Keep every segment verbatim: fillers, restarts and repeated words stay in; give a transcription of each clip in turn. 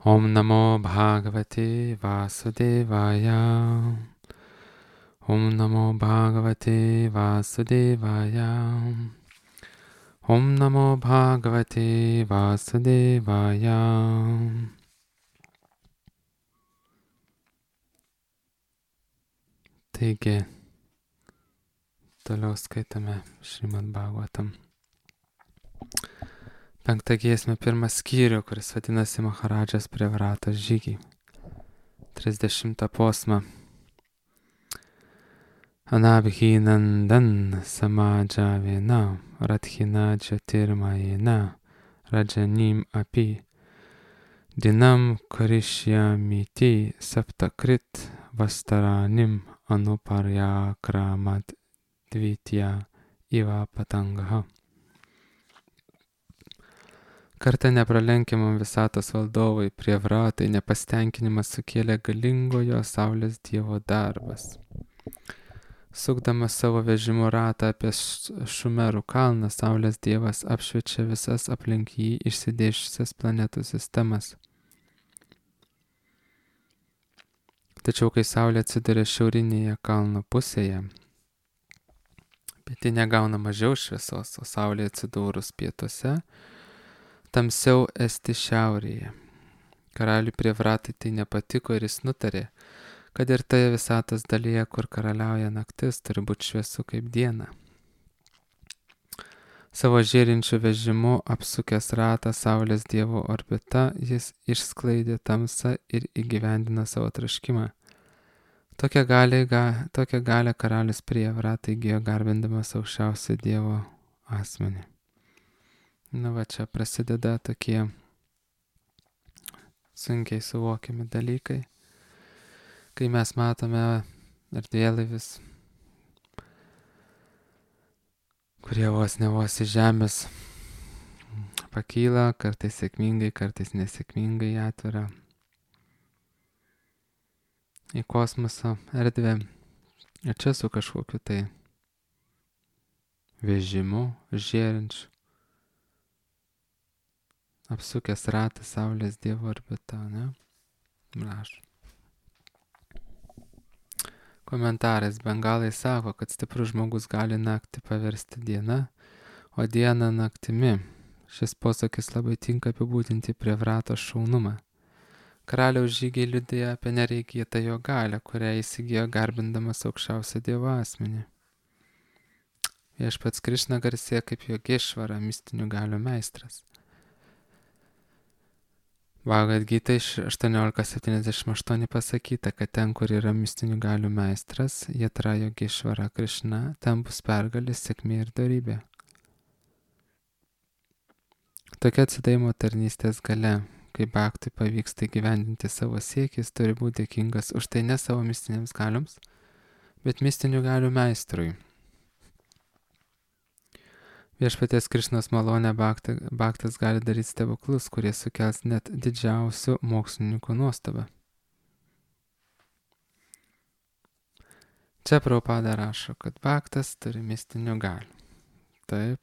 Om Namo Bhagavate Vasudevaya. Om Namo Bhagavate Vasudevaya. Om Namo Bhagavate Vasudevaya. Taigi, toliau skaitame Šrimad Bhagavatam. Penktą giesmę, pirmą skyrių, kuris vadinasi Maharadžas Prevratos žygiai. trisdešimtą posmą. Anabhinandan samadžavena radhina džatirmajena rajanim api dinam karishyamiti saptakrit vastaranim anuparyakramat dvitya iva patangaha. Kartą nepralenkiamam visatos valdovui Prievratai nepastenkinimas sukėlė galingojo saulės dievo darbas. Sukdamas savo vežimo ratą apie Šumerų kalną, saulės dievas apšviečia visas aplink jį išsidėšusias planetų sistemas. Tačiau kai saulė atsiduria šiaurinėje kalno pusėje, pietinė gauna mažiau šviesos, o saulė atsidūrus pietuose, tamsiau esti šiaurėje. Karaliui Prievratai tai nepatiko ir jis nutarė, kad ir toje visatos dalyje, kur karaliauja naktis, turi būti šviesu kaip diena. Savo žėrinčiu vežimu apsukęs ratą saulės dievo orbita, jis išsklaidė tamsą ir įgyvendino savo troškimą. Tokią galę, tokią galę karalius Prievratai įgijo garbindamas aukščiausio dievo asmenį. Na va, čia prasideda tokie sunkiai suvokiami dalykai, kai mes matome erdvėlaivius, kurie vos ne vos iš žemės pakyla, kartais sėkmingai, kartais nesėkmingai atveria į kosmoso erdvę. Ir čia su kažkokiu tai vežimu žėrinčiu, apsukęs ratą saulės dievo orbitą, ne? Rašo. Komentarais bengalai sako, kad stiprus žmogus gali naktį paversti dieną, o dieną naktimi. Šis posakis labai tinka apibūdinti Prievratos šaunumą. Karaliaus žygiai liudija apie nereikėtą jo galią, kurią įsigijo garbindamas aukščiausią dievo asmenį. Viešpats Krišna garsėja kaip Jogešvara, mistinių galių meistras. Bhagavad Gita aštuoniolika septyniasdešimt aštuoni pasakyta, kad ten, kur yra mistinių galių meistras, Jatra Jogešvara Krišna, ten bus pergalės, sėkmė ir dorybė. Tokia atsidavimo tarnystės galia, kai bhaktui pavyksta įgyvendinti savo siekis, turi būti dėkingas už tai ne savo mistinėms galioms, bet mistinių galių meistrui. Viešpaties Krišnos malonę bhaktas gali daryti stebuklus, kurie sukels net didžiausių mokslininkų nuostabą. Čia Prabhupada rašo, kad bhaktas turi mistinių galių. Taip.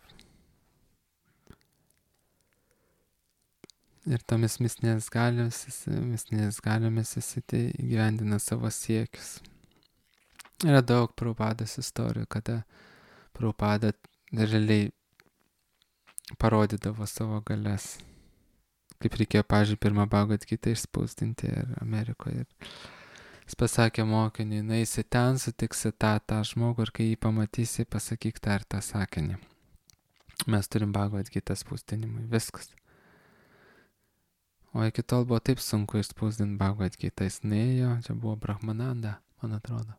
Ir tomis mistinės galiomis, mistinės galiomis jis įgyvendina savo siekius. Yra daug Prabhupados istorijų, kada Prabhupada realiai parodydavo savo galias. Kaip reikėjo, pavyzdžiui, pirmą Bhagavad Gitą išspausdinti ir Amerikoje. Ir jis pasakė mokiniui, nueisi ten, sutiksi tą, tą žmogų ir kai jį pamatysi, pasakyk tą ir tą sakinį. Mes turim Bhagavad Gitą spausdinimui, viskas. O iki tol buvo taip sunku išspausdinti Bhagavad Gitą. Jis nuėjo, čia buvo Brahmananda, man atrodo.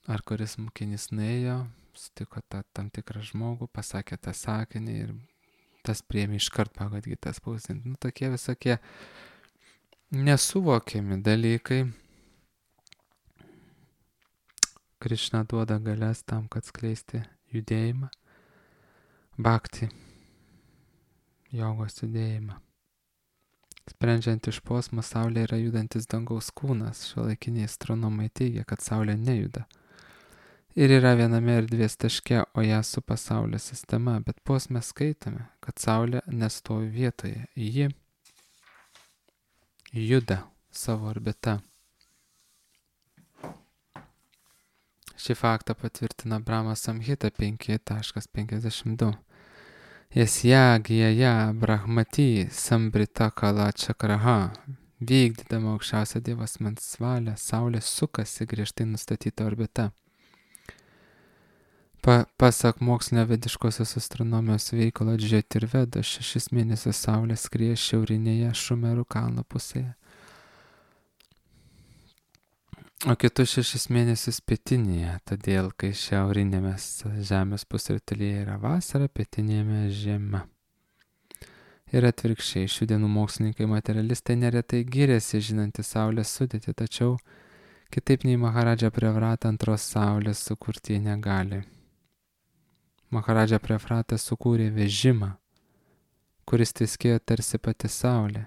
Ar kuris mokinys nuėjo, sutiko tą tam tikrą žmogų, pasakė tą sakinį ir tas priėmė iškart Bhagavad Gitą spausdinti. Nu, tokie visokie nesuvokiami dalykai. Krišna duoda galias tam, kad skleisti judėjimą, bhakti, jogos judėjimą. Sprendžiant iš posmo, Saulė yra judantis dangaus kūnas. Šiuolaikiniai astronomai teigia, kad Saulė nejuda. Ir yra viename erdvės taške, o ją supa Saulės sistema, bet posme skaitome, kad Saulė nestovi vietoje. Ji juda savo orbita. Šį faktą patvirtina Brahma Samhita penki penkiasdešimt du. Jasya gyja brahmati sambrita kala čakraha. Vykdydama aukščiausią Dievo asmens valią, Saulė sukasi griežtai nustatyta orbita. Pa, pasak mokslinio vediškosios astronomijos veikalo Džiotirvedo, šešis mėnesius Saulė skrieja šiaurinėje Šumerų kalno pusėje, o kitus šešis mėnesius pietinėje, todėl kai šiaurinėme Žemės pusrutulyje yra vasara, pietinėme žiema. Ir atvirkščiai, šių dienų mokslininkai materialistai neretai giriasi žinantys Saulės sudėtį, tačiau kitaip nei Maharadža Prevrata antros Saulės sukurti jie negali. Maharadža Prevrata sukūrė vežimą, kuris tviskėjo tarsi pati Saulė.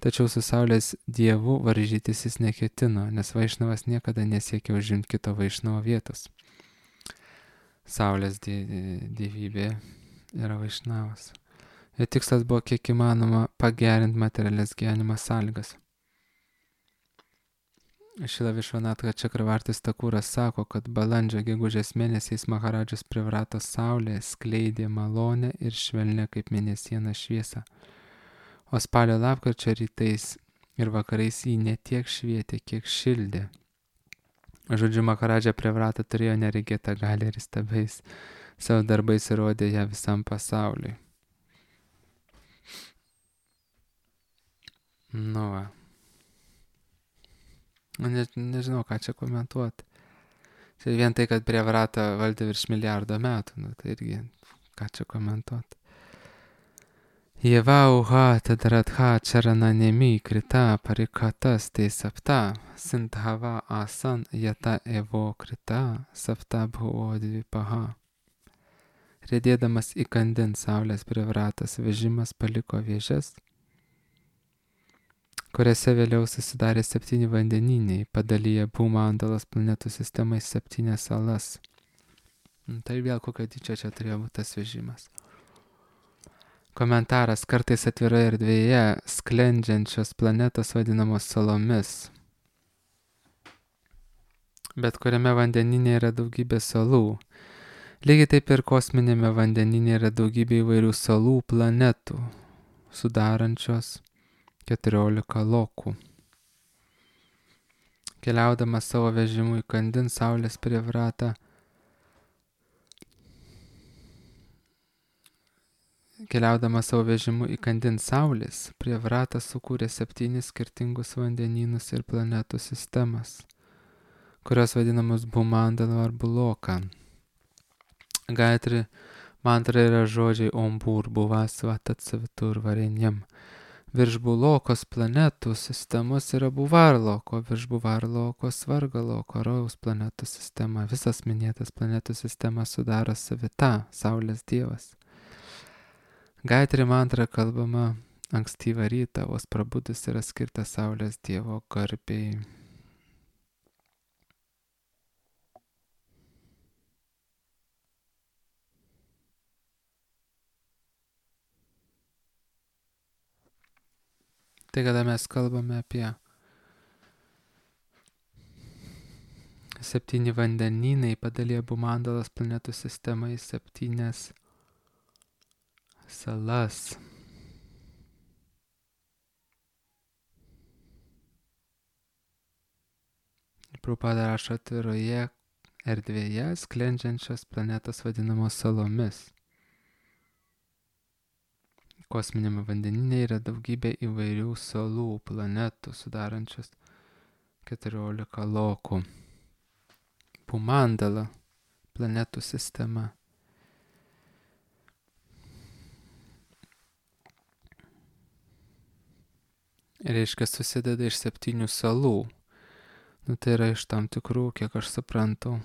Tačiau su Saulės dievu varžytis jis neketino, nes Vaišnavas niekada nesiekė užimti kito Vaišnavo vietos. Saulės dievybė yra Vaišnavas. Jo tikslas buvo kiek įmanoma pagerinti materialias gyvenimo sąlygas. Šila Višvanatka Čakravartis Takūras sako, kad balandžio gegužės mėnesiais Maharadžos Prevratos Saulė skleidė malonę ir švelnę kaip mėnesiena šviesą. O spalio lapkričio rytais ir vakarais jį ne tiek švietė, kiek šildė. Žodžiu, Maharadža Prevrata turėjo neregėtą galią ir įstabiais savo darbais įrodė ją visam pasauliui. Nu va. Ne, nežinau, ką čia komentuoti. Čia vien tai, kad Prevrata valdė virš milijardo metų, nu tai irgi, ką čia komentuoti. Jeva uha tadaratha charana nemi krita parikatas te sapta sindhava asan yata evo krita sapta bhuvo dvipaha. Rėdėdamas įkandin Saulės Prevratas vežimas paliko vėžes, kuriuose vėliau susidarė septyni vandeniniai, padalyję Bhumandalos planetų sistemą į septynias salas. Tai vėl kokio dydžio čia turėjo būti tas vežimas. Komentaras: kartais atviroje erdvėje sklendžiančios planetos vadinamos salomis. Bet kuriame vandeninė yra daugybė salų. Lygiai taip ir kosminėme vandeninė yra daugybė įvairių salų planetų, sudarančios keturiolika lokų. Keliaudamas savo vežimu įkandin Saulės Prevratą, Keliaudamas savo vežimu įkandin Saulės, Prevratas sukūrė septynis skirtingus vandenynus ir planetų sistemas, kurios vadinamos Bhumandala ar Buloka. Gayatri mantra yra žodžiai Om Bhurbuva Tatsavitur Varenyam. Virš Bulokos planetų sistemos yra Buvarloko, virš Buvarloko Svargaloko, Rojaus planetų sistema. Visas minėtas planetų sistemas sudaro Savita, Saulės dievas. Gayatri mantra kalbama ankstyvą rytą, vos prabudus yra skirta Saulės dievo garbei. Tai kada mes kalbame apie septyni vandenynai, padalė Bhumandalos planetų sistemą į septynias salas. Prabhupada rašo atviroje erdvėje sklendžiančios planetos vadinamos salomis. Kosminėme vandenyne yra daugybė įvairių salų, planetų, sudarančios keturiolika lokų. Bhumandala planetų sistema. Reiškia, susideda iš septynių salų. Nu, tai yra iš tam tikrų, kiek aš suprantu,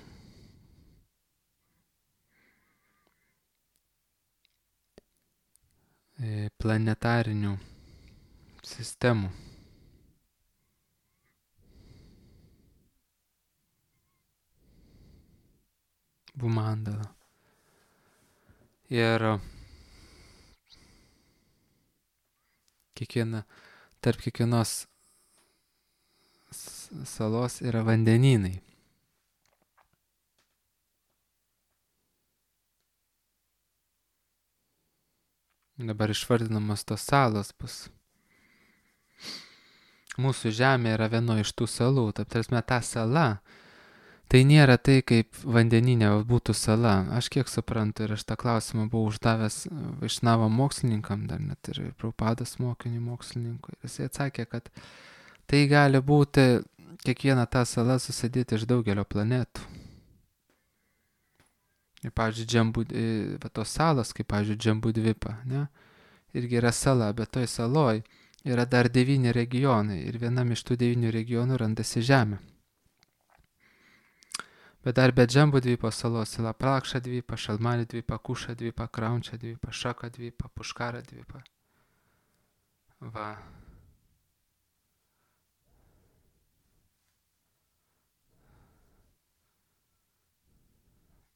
planetarinių sistemų. Bhumandala. Ir kiekviena, tarp kiekvienos salos yra vandenynai. Dabar išvardinamos tos salos bus. Mūsų žemė yra vieno iš tų salų. Taip, tarsi ta sala, tai nėra tai, kaip vandeninė būtų sala. Aš kiek suprantu ir aš tą klausimą buvau uždavęs Vaišnavo mokslininkam, dar net ir Prabhupados mokinių mokslininkui. Jis atsakė, kad tai gali būti kiekviena ta sala susidėti iš daugelio planetų. Ir, pavyzdžiui, Džambu, va, tos salos, kaip, pavyzdžiui, Džambudvipa, ne? Irgi yra sala, bet toj saloj yra dar devyni regionai ir vienam iš tų devynių regionų randasi žemė. Bet dar be Džambudvipo salos yra Prakša dvipa, Šalmali dvipa, Kuša dvipa, Kraunčia dvipa, Šaka dvipa, Puškara dvipa. Va.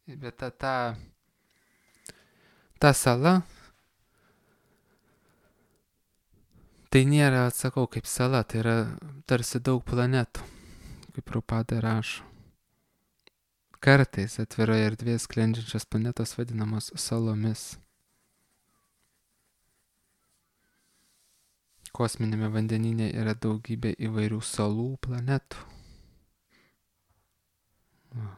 Bet ta, ta, ta sala, tai nėra, atsakau, kaip sala, tai yra tarsi daug planetų, kaip Prabhupada rašo. Kartais atviroje erdvėje sklendžiančios planetos vadinamos salomis. Kosminėme vandenyne yra daugybė įvairių salų planetų. Va.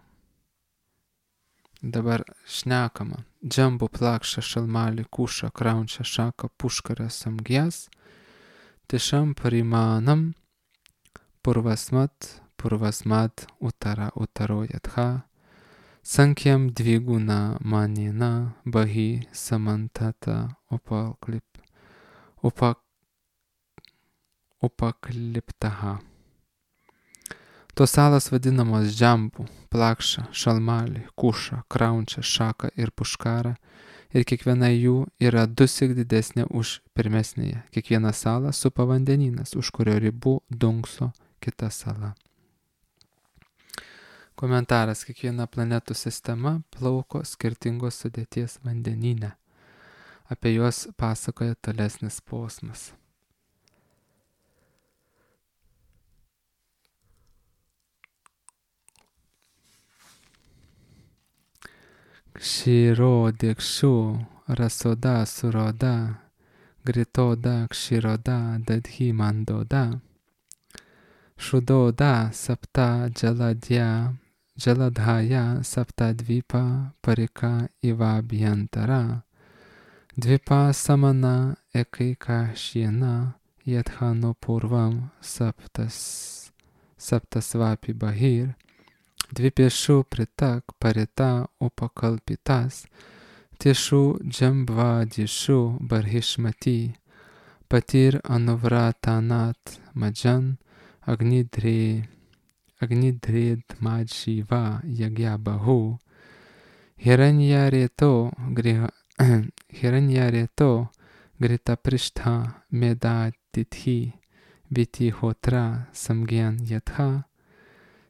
Dabar šnekama. Džambu, Plakša, Šalmali, Kuša, Kraunčia, Šaka, Puškara, Samgijas, Tišam, Parimanam, Purvasmat, Purvasmat, Utara, Utaro, Yatha, Sankyam, Dviguna, Manina, Bahi, Samantata, Upaklip, upak, Upakliptaha. Tos salos vadinamos Džambu, Plakša, Šalmali, Kuša, Kraunčia, Šaka ir Puškara ir kiekviena jų yra dusik didesnė už pirmesnėje. Kiekviena sala supa vandenynas, už kurio ribų dunkso kita sala. Komentaras. Kiekviena planetų sistema plauko skirtingos sudėties vandenyne. Apie juos pasakoja tolesnis posmas. Kshiro dikshu rasoda suroda gritoda kshiroda dadhi mandoda shudoda sapta jaladya jaladhaya sapta dvipa parika ivabhyantara dvipa samana ekaika shiena yadhano purvam saptas saptasvapi bahir Dvipiešu pritak parita upakalpitas, tiešu džambvadishu barhishmati, patir anuvratanat majan, agnidre, agnidred madživa jagyabahu, hiranyareto, hiranyareto, grita prishtha medatithi, vitihotra samgyan yatha,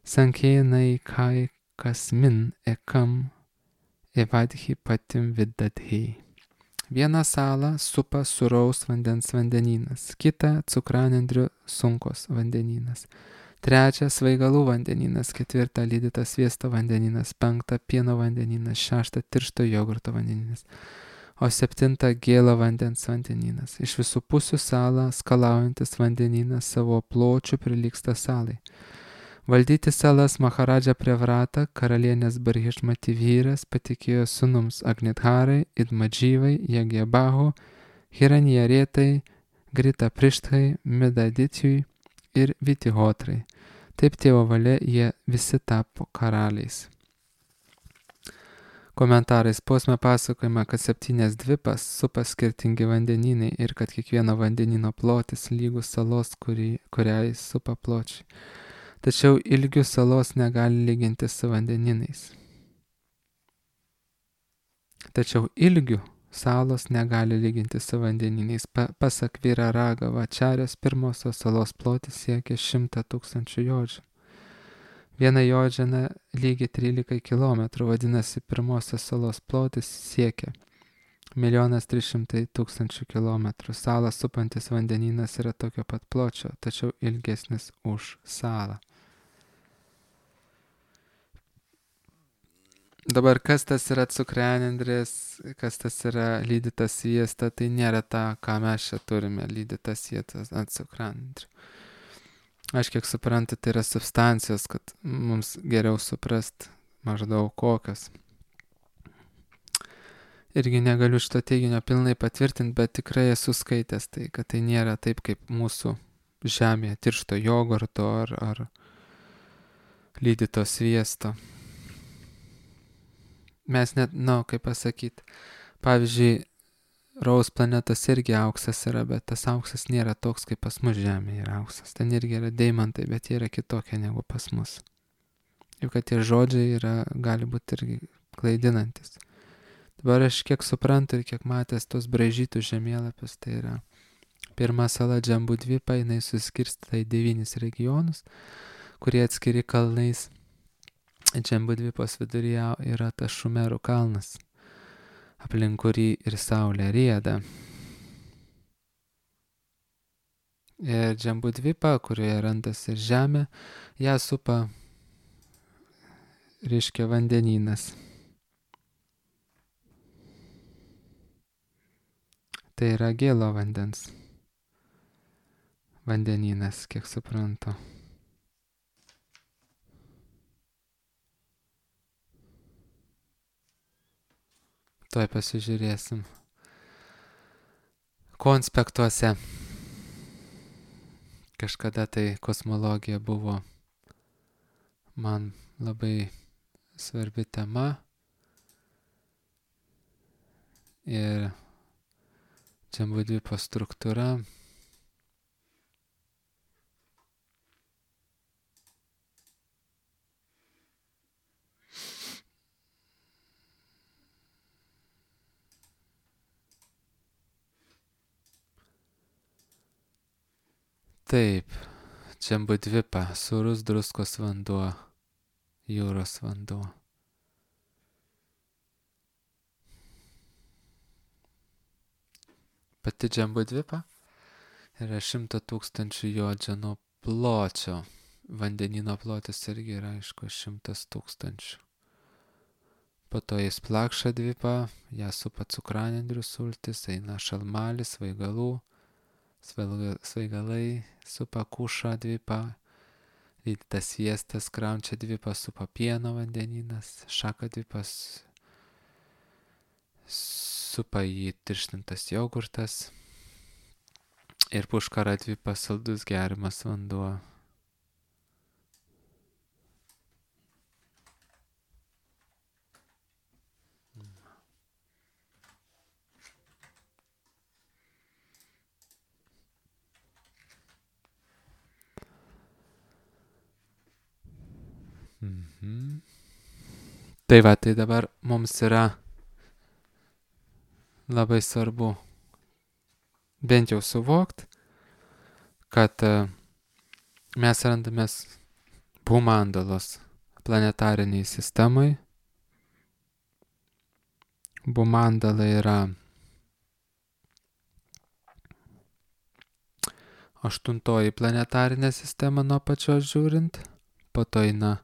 Sankenai kai kasmin ekam evadhi patim vidadhi. Vieną salą supa sūraus vandens vandenynas, kitą cukranendrių sunkos vandenynas, trečią svaigalų vandenynas, ketvirtą lydytas sviesto vandenynas, penktą pieno vandenynas, šeštą tiršto jogurto vandenynas, o septintą gėlo vandens vandenynas. Iš visų pusių salą skalaujantis vandenynas savo pločių prilygsta salai. Valdyti salas Maharadža Prevrata, karalienės Barhishmati vyras, patikėjo sunums Agnidharai, Idmadžyvai, Jagyabahu, Hiranyaretai, Grita Prišthai, Medaditijui ir Vitihotrai. Taip tėvo valia jie visi tapo karaliais. Komentarais posme pasakojama, kad septynės dvipas supa skirtingi vandenynai ir kad kiekvieno vandenino plotis lygus salos, kurį, kuriai supa pločiai. Tačiau ilgių salos negali lyginti su vandeninais. Tačiau ilgių salos negali lyginti su vandeninais. Pa, pasak Vyra Ragava Ačarjos, pirmosios salos plotis siekia šimtą tūkstančių jodžių. Viena jodžina lygi trylika kilometrų, vadinasi, pirmosios salos plotis siekia Milijonas trys šimtai tūkstančių kilometrų. Salą supantis vandenynas yra tokio pat pločio, tačiau ilgesnis už salą. Dabar kas tas yra cukranendrės, kas tas yra lydytas sviesta, tai nėra ta, ką mes čia turime, lydytas sviestas ant cukranendrių. Aš kiek suprantu, tai yra substancijos, kad mums geriau suprast maždaug kokios. Irgi negaliu šito teiginio pilnai patvirtinti, bet tikrai esu skaitęs tai, kad tai nėra taip kaip mūsų žemėje tiršto jogurto ar, ar lydyto sviesto. Mes net, na, kaip pasakyti, pavyzdžiui, Raus planetos irgi auksas yra, bet tas auksas nėra toks, kaip pas mus Žemėje yra auksas. Ten irgi yra deimantai, bet jie yra kitokie negu pas mus. Juk kad tie žodžiai yra, gali būti irgi klaidinantis. Dabar aš kiek suprantu ir kiek matęs tos braižytus žemėlapius, tai yra pirma sala Džambudvipa, jinai suskirstyta į devynis regionus, kurie atskiri kalnais. Džambudvipos viduryje yra tas Šumerų kalnas, aplink kurį ir saulė rieda. Ir Džambudvipa, kurioje randasi ir žemė, ją supa, reiškia, vandenynas. Tai yra gėlo vandens vandenynas, kiek suprantu. Tuoj pasižiūrėsim. Konspektuose. Kažkada tai kosmologija buvo man labai svarbi tema. Ir Džambudvipos struktūra. Taip, Džambudvipa, sūrus druskos vanduo, jūros vanduo. Pati Džambudvipa yra šimto tūkstančių jodžanų pločio. Vandenino plotis irgi yra, aišku, šimtas tūkstančių. Po to jis Plakša dvipa, ją supa cukranendrių sultis, eina Šalmalis, Svaigalų, Svaigalai supa Kuša dvipa, lydytas sviestas Kraunčia dvipa, supa pieno vandenynas, Šaka dvipas, supa jį tirštintas jogurtas ir Puškara dvipa, saldus geriamas vanduo. Mhm. Tai va, tai dabar mums yra labai svarbu bent jau suvokt, kad mes randamės Bumandalos planetariniai sistemai. Bumandala yra aštuntoji planetarinė sistema nuo pačios žiūrint, po to eina,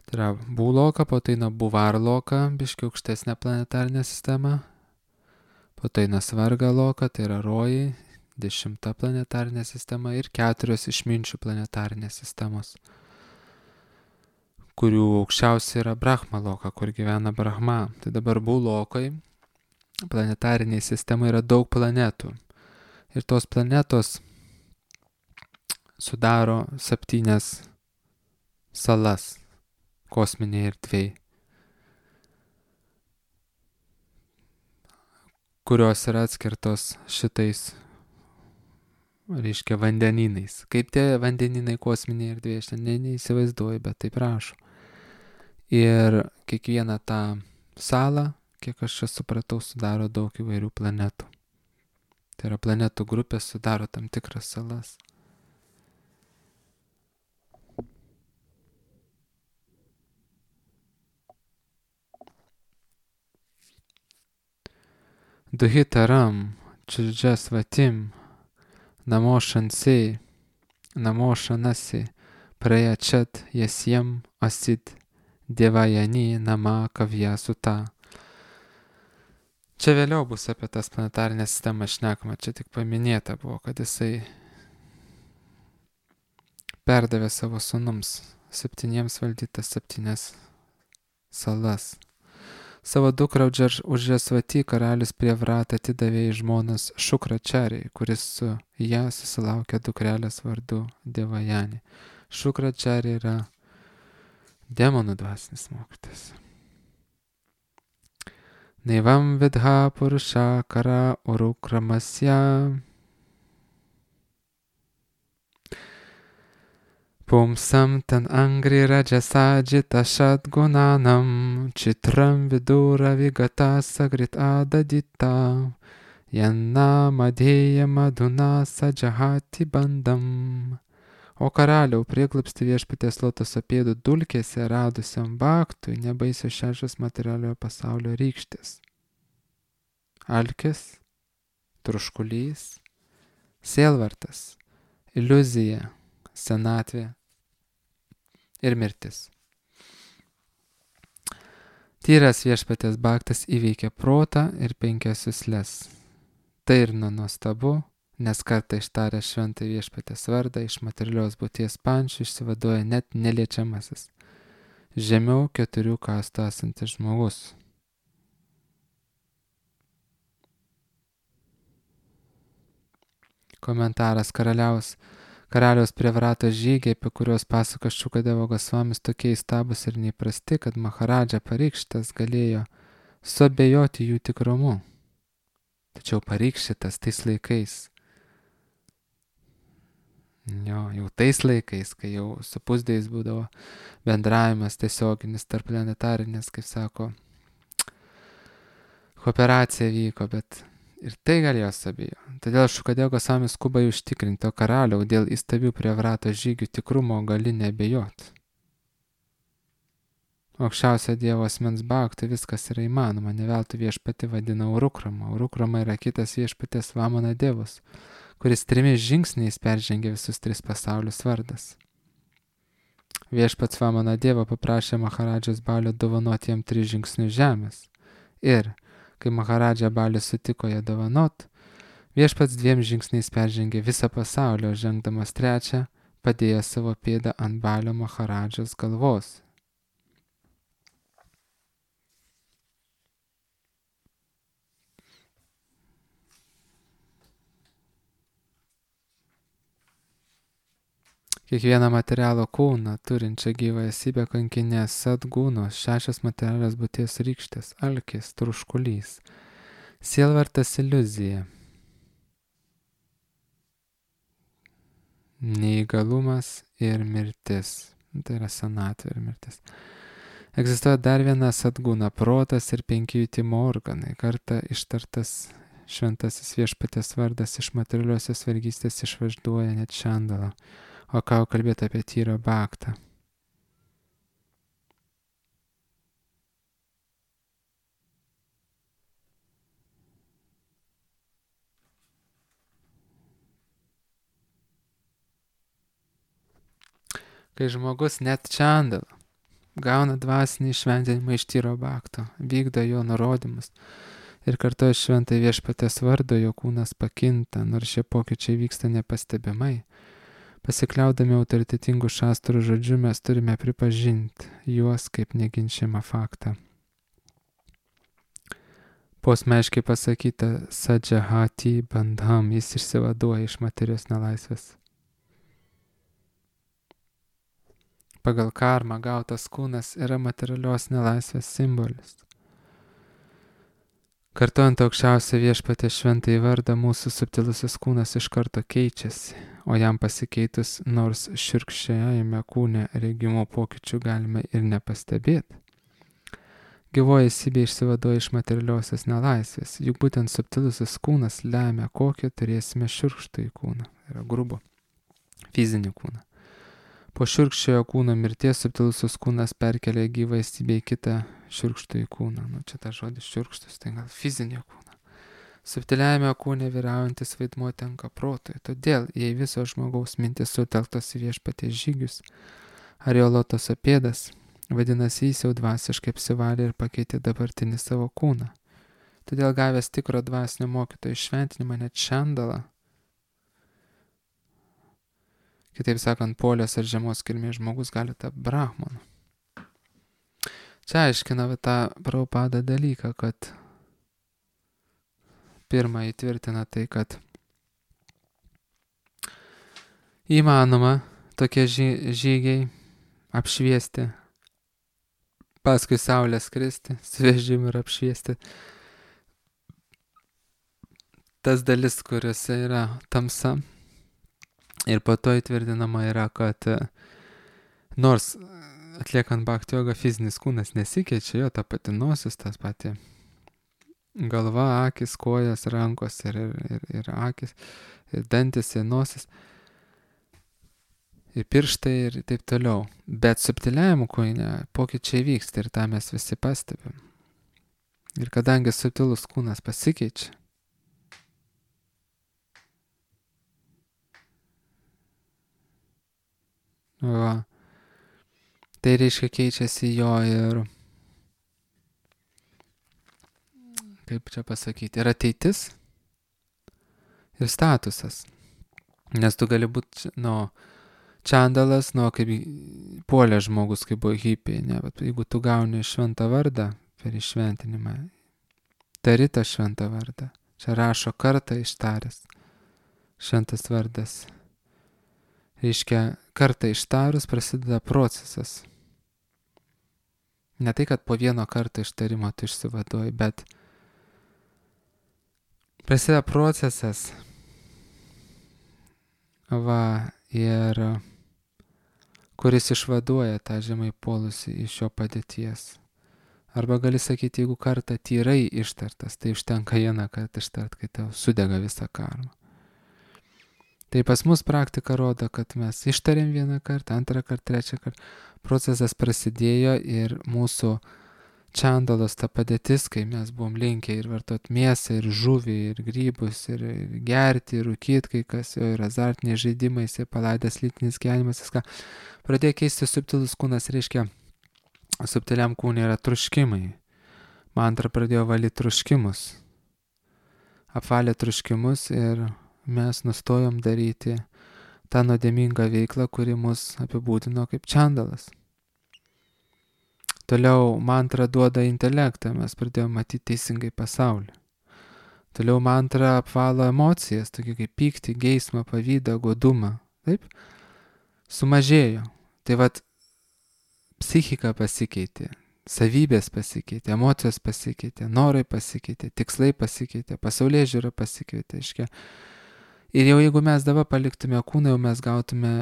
tai yra Būloka, po to eina Buvarloka, biški aukštesnė planetarinė sistema, po to eina Svargaloka, tai yra Rojai, dešimta planetarinė sistema ir keturios išminčių planetarinės sistemos, kurių aukščiausia yra Brahmaloka, kur gyvena Brahma. Tai dabar Būlokai planetariniai sistemai yra daug planetų ir tos planetos sudaro septynias salas kosminėje erdvėje, kurios yra atskirtos šitais, reiškia, vandenynais. Kaip tie vandenynai kosminėje erdvėje, aš ne, neįsivaizduoju, bet taip rašo. Ir kiekvieną tą salą, kiek aš čia supratau, sudaro daug įvairių planetų. Tai yra planetų grupės sudaro tam tikras salas. Duhitaram, Chujasvatim, Namo Shanse, Namo Shanasi, Prayachat Yasyam Asit, Devayani Nama Kavyasuta. Čia vėliau bus apie tas planetarinės sistemas šnekama, čia tik paminėta buvo, kad jisai perdavė savo sūnums septyniems valdytas septynias salas. Savo dukrą Udžasvatį karalius Prievratą atidavė į žmonas Šukračariai, kuris su ją susilaukė dukrelės vardu Devajani. Šukračariai yra demonų dvasinis mokytas. Naivam vidha purusha kara urukramasya Pumsam tan angri rajasa jita shadgunanam chitram vidura vigata sagrit adadita yanna madheya madhuna sajahati bandam. O karaliau, prieglobsti viešpaties lotoso pėdų dulkėse radusiam baktui nebaisios šešios materialiojo pasaulio rykštės. Alkis, troškulys, sielvartas, iliuzija, senatvė ir mirtis. Tyras viešpaties baktas įveikia protą ir penkias jusles. Tai ir nuostabu, nes kartą ištarę šventą viešpaties vardą iš materialios būties pančių išsivaduoja net neliečiamasis, žemiau keturių kastų esantis žmogus. Komentaras karaliaus, karaliaus Prievrato žygiai, apie kuriuos pasako Šukadeva Gosvamis, tokie įstabūs ir neįprasti, kad Maharadža Parikšitas galėjo suabejoti jų tikrumu. Tačiau Parikšitas tais laikais, jo, jau tais laikais, kai jau su pusdėjais būdavo bendravimas tiesioginis tarp planetarinės, kaip sako, kooperacija vyko, bet ir tai galėjo sabijo. Todėl Šukadeva Gosvamis skuba užtikrinti, o karaliau dėl įstabių Prievrato žygių tikrumo gali nebejot. Aukščiausio Dievo asmens baktų viskas yra įmanoma, ne veltui viešpati vadina Urukrama. Urukrama yra kitas viešpatės Vamana Dievas, kuris trimis žingsniais peržengė visus tris pasaulius vardas. Viešpats Vamana Dievo paprašė Maharadžos Balio dovanoti jam tris žingsnius žemės. Ir, kai Maharadža Balis sutiko ją dovanot, viešpats dviem žingsniais peržengė visą pasaulį, o žengdamas trečią, padėjo savo pėdą ant Balio Maharadžos galvos. Kiekvieną materialų kūną, turinčią gyvą esybę kankinė sadgūnos, šešios materialios būties rykštės, alkis, troškulys, sielvartas, iliuzija, neįgalumas ir mirtis. Tai yra senatvė ir mirtis. Egzistuoja dar viena sadgūna, protas ir penki jutimo organai. Kartą ištartas šventasis viešpatės vardas iš materialiosios vergystės išvažduoja net Čandalą. O ką kalbėti apie tyro baktą? Kai žmogus net Čandalą gauna dvasinį šventinimą iš tyro bakto, vykdo jo nurodymus ir kartoja šventai viešpatės vardo, jo kūnas pakinta, nors šie pokyčiai vyksta nepastebimai. Pasikliaudami autoritetingų šastrų žodžių mes turime pripažinti juos kaip neginčiamą faktą. Posmeiškai pasakyta Sajahati bandham, jis išsivaduoja iš materijos nelaisvės. Pagal karmą gautas kūnas yra materialios nelaisvės simbolis. Kartojant aukščiausią viešpatės šventąjį vardą, mūsų subtilusis kūnas iš karto keičiasi, o jam pasikeitus nors šiurkščiajame kūne regimų pokyčių galime ir nepastebėti. Gyvoji esybė išsivaduoja iš materialiosios nelaisvės, juk būtent subtilusis kūnas lemia, kokį turėsime šiurkštųjį kūną, tai yra grubų fizinį kūną. Po šiurkščiojo kūno mirties subtilusis kūnas perkelia gyvą esybę į kitą šiurkštųjį kūną. Nu, čia ta žodis šiurkštus, tai gal fizinį kūną. Subtiliajame kūne vyraujantis vaidmuo tenka protui. Todėl, jei viso žmogaus mintis sutelktos į viešpaties žygius, ar jo lotoso pėdas, vadinasi, jis jau dvasiškai apsivalė ir pakeitė dabartinį savo kūną. Todėl gavęs tikro dvasinio mokytojo šventinimą net šandalą, kitaip sakant, polės ar žemos kilmės žmogus gali tapti brahmanu. Čia aiškina tą Prabhupada dalyką, kad pirmą įtvirtina tai, kad įmanoma tokie žygiai apšviesti, paskui saulę skristi, su vežimu ir apšviesti tas dalis, kuriuose yra tamsa. Ir po to įtvirtinama yra, kad nors atliekant bhakti jogą fizinis kūnas nesikeičia, jo ta pati nosis, tas pati galva, akis, kojas, rankos ir, ir, ir akis, ir dantis, ir nosis, ir pirštai ir taip toliau. Bet subtiliajam kūne pokyčiai vyksta ir tą mes visi pastebim. Ir kadangi subtilus kūnas pasikeičia, va, tai reiškia keičiasi jo ir, kaip čia pasakyti, ir ateitis, ir statusas. Nes tu gali būti, nu, čandalas, nu, kaip puolė žmogus, kaip buvo hipiai, ne, bet jeigu tu gauni šventą vardą per iššventinimą, tari tą šventą vardą. Čia rašo kartą ištaręs šventas vardas. Reiškia, kartą ištarus prasideda procesas. Ne tai, kad po vieno karto ištarimo tu išsivaduoji, bet prasideda procesas. Va, ir kuris išvaduoja tą žemai puolusį iš jo padėties. Arba gali sakyti, jeigu kartą tyrai ištartas, tai užtenka vieną kartą ištart, kai tau sudega visą karmą. Tai pas mus praktika rodo, kad mes ištarėm vieną kartą, antrą kartą, trečią kartą. Procesas prasidėjo ir mūsų čandalos ta padėtis, kai mes buvom linkę ir vartot mėsą, ir žuvį, ir grybus, ir gerti, ir rūkyti, kai kas jo, ir azartiniai žaidimai, jisai palaidęs lytinis gyvenimas, viską. Pradėjo keisti subtilus kūnas, reiškia, subtiliam kūne yra truškimai. Mantra pradėjo valyti truškimus. Apvalė truškimus ir mes nustojom daryti tą nuodėmingą veiklą, kuri mus apibūdino kaip čandalas. Toliau mantra duoda intelektą, mes pradėjome matyti teisingai pasaulį. Toliau mantra apvalo emocijas, tokie kaip pyktį, geismą, pavydą, godumą. Taip? Sumažėjo. Tai vat psichika pasikeitė, savybės pasikeitė, emocijos pasikeitė, norai pasikeitė, tikslai pasikeitė, pasaulėžiūra pasikeitė. Iškia. Ir jau jeigu mes dabar paliktume kūną, jau mes gautume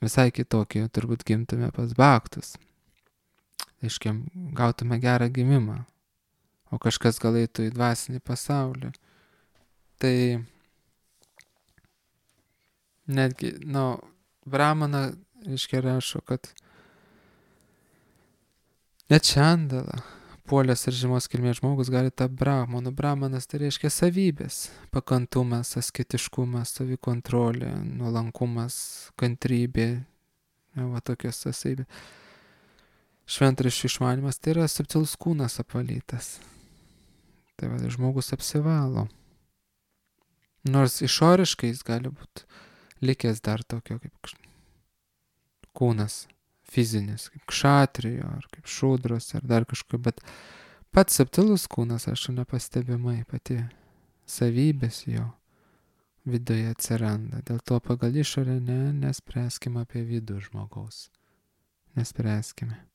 visai kitokį, turbūt gimtume pas bhaktus. Aiškiai, gautume gerą gimimą, o kažkas gal eitų į dvasinį pasaulį. Tai netgi, nu, Brahmana, aiškiai, rašo, kad net čandala, puolės ir žemos kilmės žmogus gali tapti brahmanu. Brahmanas tai reiškia savybės, pakantumas, asketiškumas, savikontrolė, nuolankumas, kantrybė, va tokios savybės. Šventraščių išmanimas tai yra subtilus kūnas apvalytas. Tai va, žmogus apsivalo. Nors išoriškai jis gali būti likęs dar tokio kaip kūnas fizinis, kaip kšatrijo, ar kaip šūdros, ar dar kažko, bet pats subtilus kūnas, aš nepastebimai, pati savybės jo viduje atsiranda. Dėl to pagal išorę ne, nespręskime apie vidų žmogaus. Nespręskime.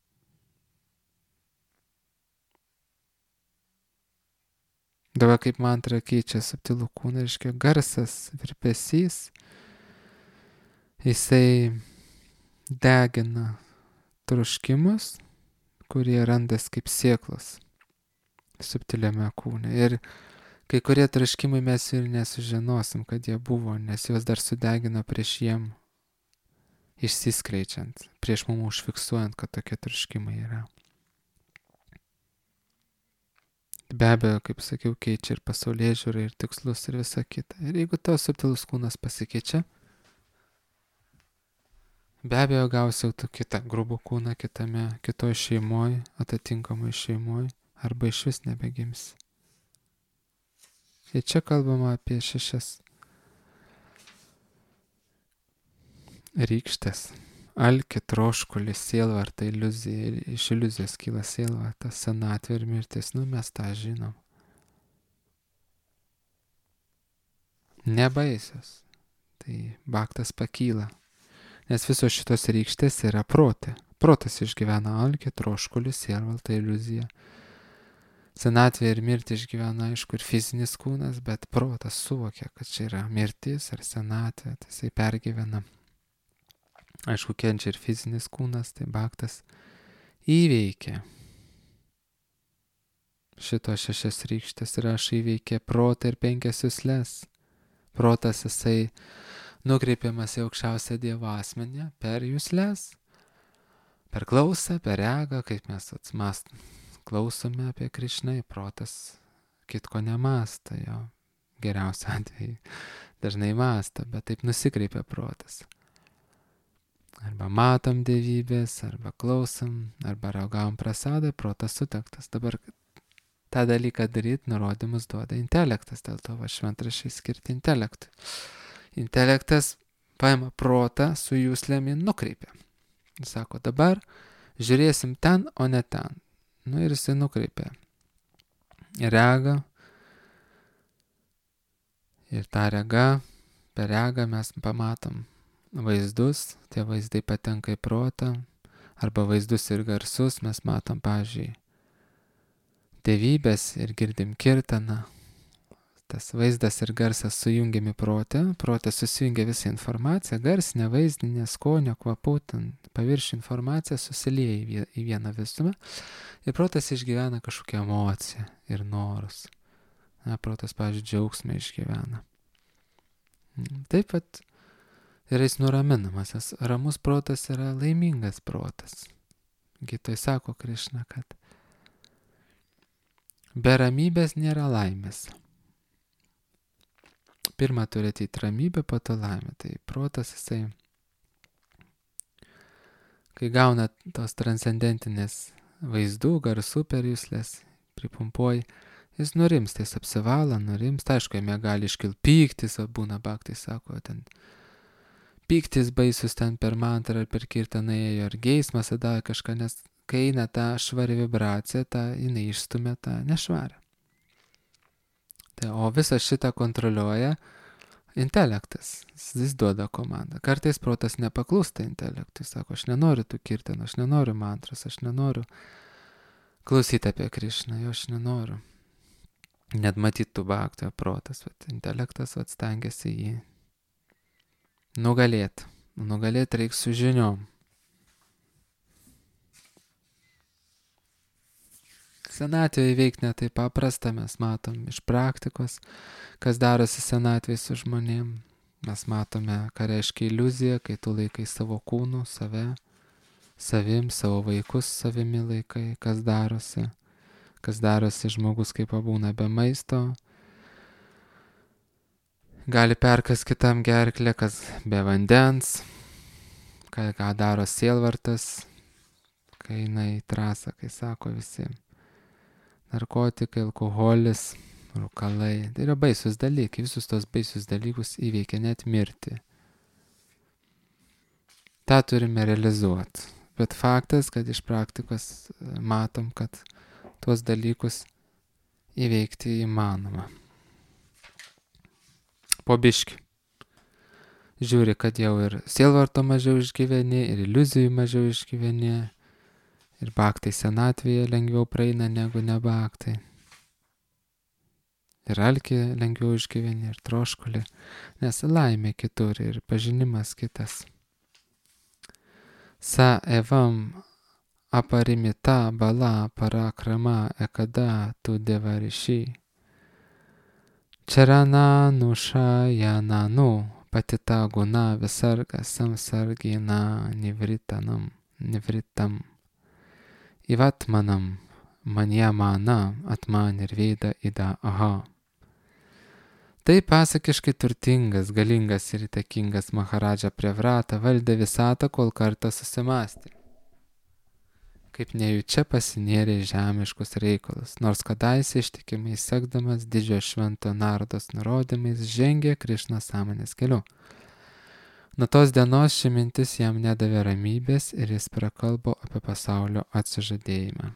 Dabar kaip mantra keičia subtilų kūną, reiškia garsas, virpesys, jisai degina troškimus, kurie randas kaip sėklos subtiliame kūne. Ir kai kurie troškimai mes ir nesužinosim, kad jie buvo, nes juos dar sudegino prieš jiem išsiskleidžiant, prieš mum užfiksuojant, kad tokie troškimai yra. Be abejo, kaip sakiau, keičia ir pasaulyje žiūrą, ir tikslus, ir visa kita. Ir jeigu tavo subtilus kūnas pasikeičia, be abejo gausi jau tu kitą grubų kūną kitame, kitoj šeimoj, atitinkamai šeimoj, arba iš vis nebegimsi. Ir čia kalbama apie šešias rykštės. Alkį, troškulį, sielvartą, iliuziją. Iš iliuzijos kyla sielvarta, senatvė ir mirtis. Nu, mes tą žinom. Nebaisios. Tai baktas pakyla. Nes visos šitos rykštės yra protė. Protas išgyvena alkį, troškulį, sielvartą, iliuziją. Senatvė ir mirtį išgyvena, aišku, ir fizinis kūnas, bet protas suvokia, kad čia yra mirtis ar senatvė, tai jisai pergyvena. Aišku, kenčia ir fizinis kūnas, tai baktas įveikia šito šešias rykštės ir aš įveikė protą ir penkias jusles. Protas jisai nukreipiamas į aukščiausią Dievo asmenį per jusles, per klausą, per regą, kaip mes atsmastom. Klausome apie Krišną, protas kitko nemąsta, jo geriausia atveju dažnai mąsta, bet taip nusikreipia protas. Arba matom dievybės, arba klausom, arba ragavom prasadą, protas sutektas. Dabar tą dalyką daryti, nurodymus duoda intelektas, dėl to va šventraščiai skirti intelektui. Intelektas paima protą su juslėmi nukreipia. Jis sako, dabar žiūrėsim ten, o ne ten. Nu ir jisai nukreipia regą. Ir tą regą, per regą mes pamatom vaizdus, tie vaizdai patenka į protą, arba vaizdus ir garsus mes matom, pavyzdžiui, dievybės ir girdim kirtaną. Tas vaizdas ir garsas sujungiami protę, protė susijungia visą informaciją, garsinę, vaizdinę, skonio, kvapų, ten paviršių informacija susilieja į vieną visumą ir protas išgyvena kažkokią emociją ir norus. Na, protas, pavyzdžiui, džiaugsmą išgyvena. Taip pat ir jis nuraminamas, nes ramus protas yra laimingas protas. Gytoj sako Krišna, kad be ramybės nėra laimės. Pirma turi ateiti ramybė, po to laimė. Tai protas jisai, kai gauna tos transcendentinės vaizdų, garsų per juslės, pripumpuoji, jis nurimsta, jis apsivala, nurimsta. Aišku, jame gali iškilti pyktis, o būna baktai, sako, ten pyktis baisus ten per mantrą ar per kirtaną ėjo, ar geismas tada kažką, nes kai eina ta švari vibracija, ta jinai išstumia tą nešvarę. Tai, o visą šitą kontroliuoja intelektas, jis duoda komandą. Kartais protas nepaklūsta intelektui, sako, aš nenoriu tų kirtanų, aš nenoriu mantros, aš nenoriu klausyti apie Krišną, jo aš nenoriu. Net matytų baktojo protas, bet intelektas atstengiasi jį nugalėti. Nugalėti reikia su žiniom. Senatvėje įveikti ne taip paprasta, mes matom iš praktikos, kas darosi senatvėje su žmonėm. Mes matome, ką reiškia iliuzija, kai tu laikai savo kūnų, save, savim, savo vaikus savimi laikai, kas darosi. Kas darosi žmogus, kai pabūna be maisto. Gali perkas kitam gerklę, kas be vandens, ką, ką daro sielvartas, kai eina į trasą, kai sako visi. Narkotikai, alkoholis, rūkalai. Tai yra baisus dalykai, visus tos baisus dalykus įveikia net mirtį. Ta turime realizuoti. Bet faktas, kad iš praktikos matom, kad tuos dalykus įveikti įmanoma. Po biškį. Žiūri, kad jau ir sielvarto mažiau išgyveni, ir iliuzijų mažiau išgyveni, ir baktai senatvėje lengviau praeina negu ne baktai. Ir alkį lengviau išgyveni, ir troškulį, nes laimė kitur ir pažinimas kitas. Sa evam aparimita bala parakrama ekada tu devarishi. Čarana nušajananu patita guna visarga samsargina nivritanam, nivritam. Ivatmanam manie mana, atman ir veida ida aha. Tai pasakiškai turtingas, galingas ir įtakingas Maharadža Prevrata valdė visatą, kol kartą susimastė. Kaip nejučia pasinėrė į žemiškus reikalus, nors kadaise ištikimai sekdamas didžiojo švento Nardos nurodymais žengė Krišnos sąmonės keliu. Nuo tos dienos ši mintis jam nedavė ramybės ir jis prakalbo apie pasaulio atsižadėjimą.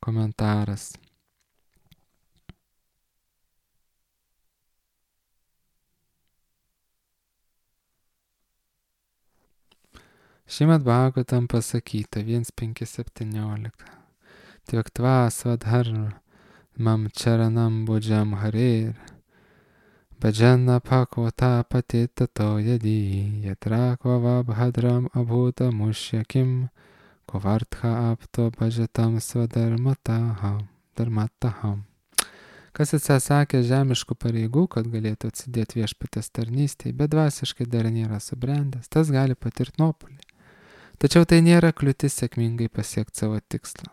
Komentaras. Šimad Bhagavatam pasakyta vienas penki septyniolika. Tvaktva svadharm mam charanam bujam harir. Bhajana pakvata patitato yadi yatra kvava bhadram abhuta mushyakim kovartha apto bhajatam svadharmataham dharmataham. Kas atsisakė žemiškų pareigų, kad galėtų atsidėti viešpaties tarnystėje, bet dvasiškai dar nėra subrendęs, tas gali patirti nuopuolį. Tačiau tai nėra kliūtis sėkmingai pasiekti savo tikslą.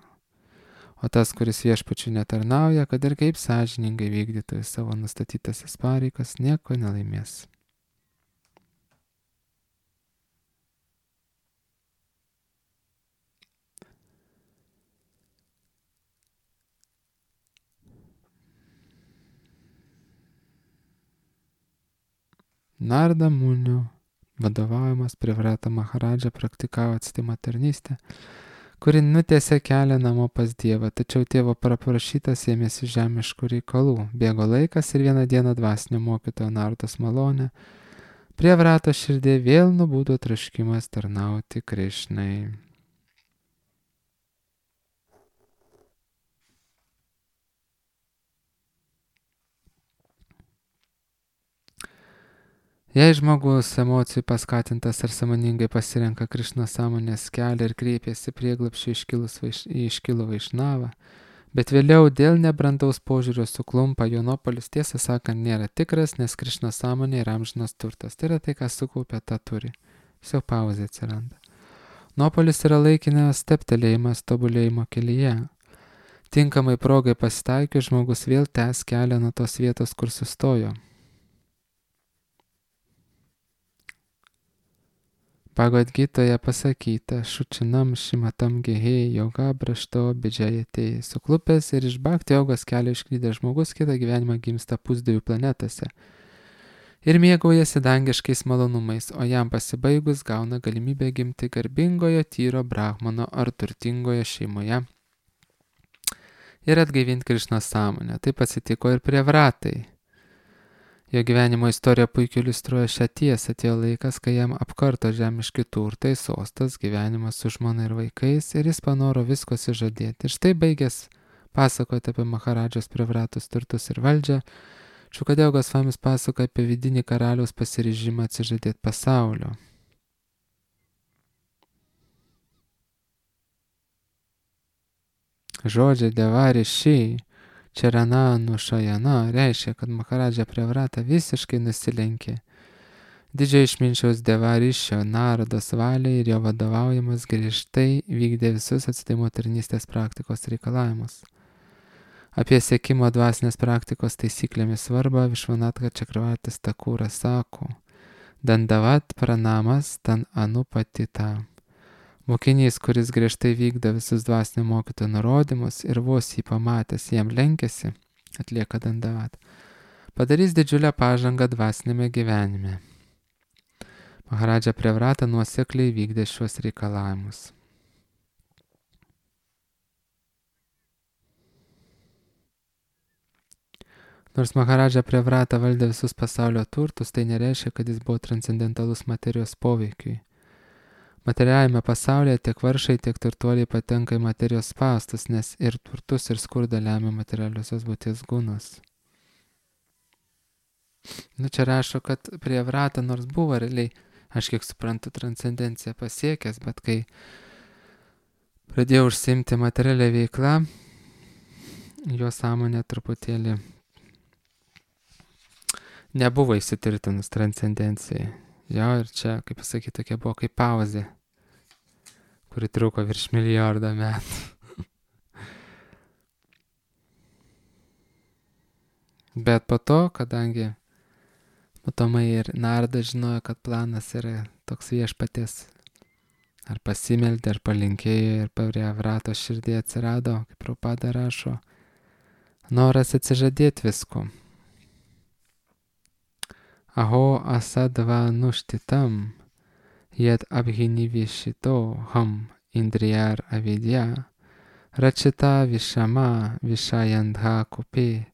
O tas, kuris viešpačiui netarnauja, kad ir kaip sąžiningai vykdytų savo nustatytasis pareigas, nieko nelaimės. Narda Munio vadovaujamas Prevrata Maharadža praktikavo atstumą tarnystę, kuri nutiesė kelią namo pas Dievą, tačiau tėvo paprašytas ėmėsi žemiškų reikalų. Bėgo laikas ir vieną dieną dvasinio mokytojo Nardos malonė Prevrato širdė vėl nubudo troškimas tarnauti Krišnai. Jei žmogus emocijų paskatintas ar sąmoningai pasirenka Krišnos sąmonės kelią ir kreipiasi prieglapščių į iškilų Vaišnavą, bet vėliau dėl nebrandaus požiūrio suklumpa, jo nuopuolis tiesą sakant nėra tikras, nes Krišnos sąmonė yra amžinas turtas. Tai yra tai, ką sukaupė, tą turi. Tiesiog pauzė atsiranda. Nuopuolis yra laikinas steptelėjimas tobulėjimo kelyje. Tinkamai progai pasitaikius, žmogus vėl tęs kelią nuo tos vietos, kur sustojo. Bhagavad Gitoje pasakyta, šučinam šimatam gehėjai joga brašto bidžiajatėjai. Suklupęs ir iš bhakti jogos kelio išklydęs žmogus kitą gyvenimą gimsta pusdievių planetose ir mėgaujasi dangiškais malonumais, o jam pasibaigus gauna galimybę gimti garbingojo tyro brahmano ar turtingoje šeimoje ir atgaivinti Krišnos sąmonę. Taip atsitiko ir Prevratai. Jo gyvenimo istorija puikiai iliustruoja šią tiesą. Atėjo laikas, kai jam apkarto žemiški turtai, sostas, gyvenimas su žmona ir vaikais ir jis panoro visko sižadėti. Ir štai baigęs pasakoti apie Maharadžos Prevratos turtus ir valdžią, Šukadeva Gosvamis pasakoja apie vidinį karaliaus pasiryžimą atsižadėti pasaulio. Žodžiai devari šiai Čerana nušajana reiškia, kad Maharadža Prevrata visiškai nusilenkė didžiojo išminčiaus Devarišio Nardos valiai ir jo vadovaujamas griežtai vykdė visus atsidavimo tarnystės praktikos reikalavimus. Apie siekimo dvasinės praktikos taisyklėmis svarbą Višvanatka Čakravartis Takūras sako: Dandavat pranamas tan anupatita. Mokinys, kuris griežtai vykdo visus dvasinio mokytojo nurodymus ir vos jį pamatęs jam lenkėsi, atlieka dandavat, padarys didžiulę pažangą dvasinėme gyvenime. Maharadža Prevrata nuosekliai vykdė šiuos reikalavimus. Nors Maharadža Prevrata valdė visus pasaulio turtus, tai nereiškia, kad jis buvo transcendentalus materijos poveikiui. Materialiame pasaulyje tiek varšai, tiek turtuoliai patenka į materijos spąstus, nes ir turtus, ir skurdą lemia materialiosios būties gūnos. Nu, čia rašo, kad Prevrata nors buvo realiai, aš kiek suprantu, transcendenciją pasiekęs, bet kai pradėjau užsiimti materialią veiklą, jo sąmonė truputėlį nebuvo įsitvirtinus transcendencijai. Jo, ir čia, kaip pasakyti, tokia buvo kaip pauzė, kuri truko virš milijardo metų. Bet po to, kadangi matomai ir Narda žinojo, kad planas yra toks viešpaties, ar pasimeldė, ar palinkėjo ir prie Vratos širdį atsirado, kaip Prabhupada rašo, noras atsižadėti visko. Aho asadva nuštitam, jed abhinivishito ham indriyar avidya, rachita vishama vishayandha kupe,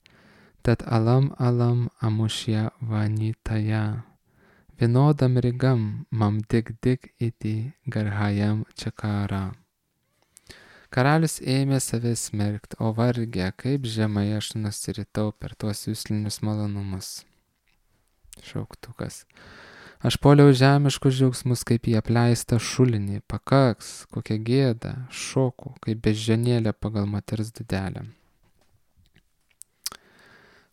tad alam alam amushya vanitaya, vinodam rigam mam dig dig iti garhayam čakara. Karalius ėmė save smerkti, o vargė, kaip žemai aš nusiritau per tuos jūslinius malonumus. Šauktukas. Aš poliau žemiškus džiaugsmus kaip į apleistą šulinį, pakaks, kokia gėda, šoku, kaip beždžionėlė pagal moters dūdelę.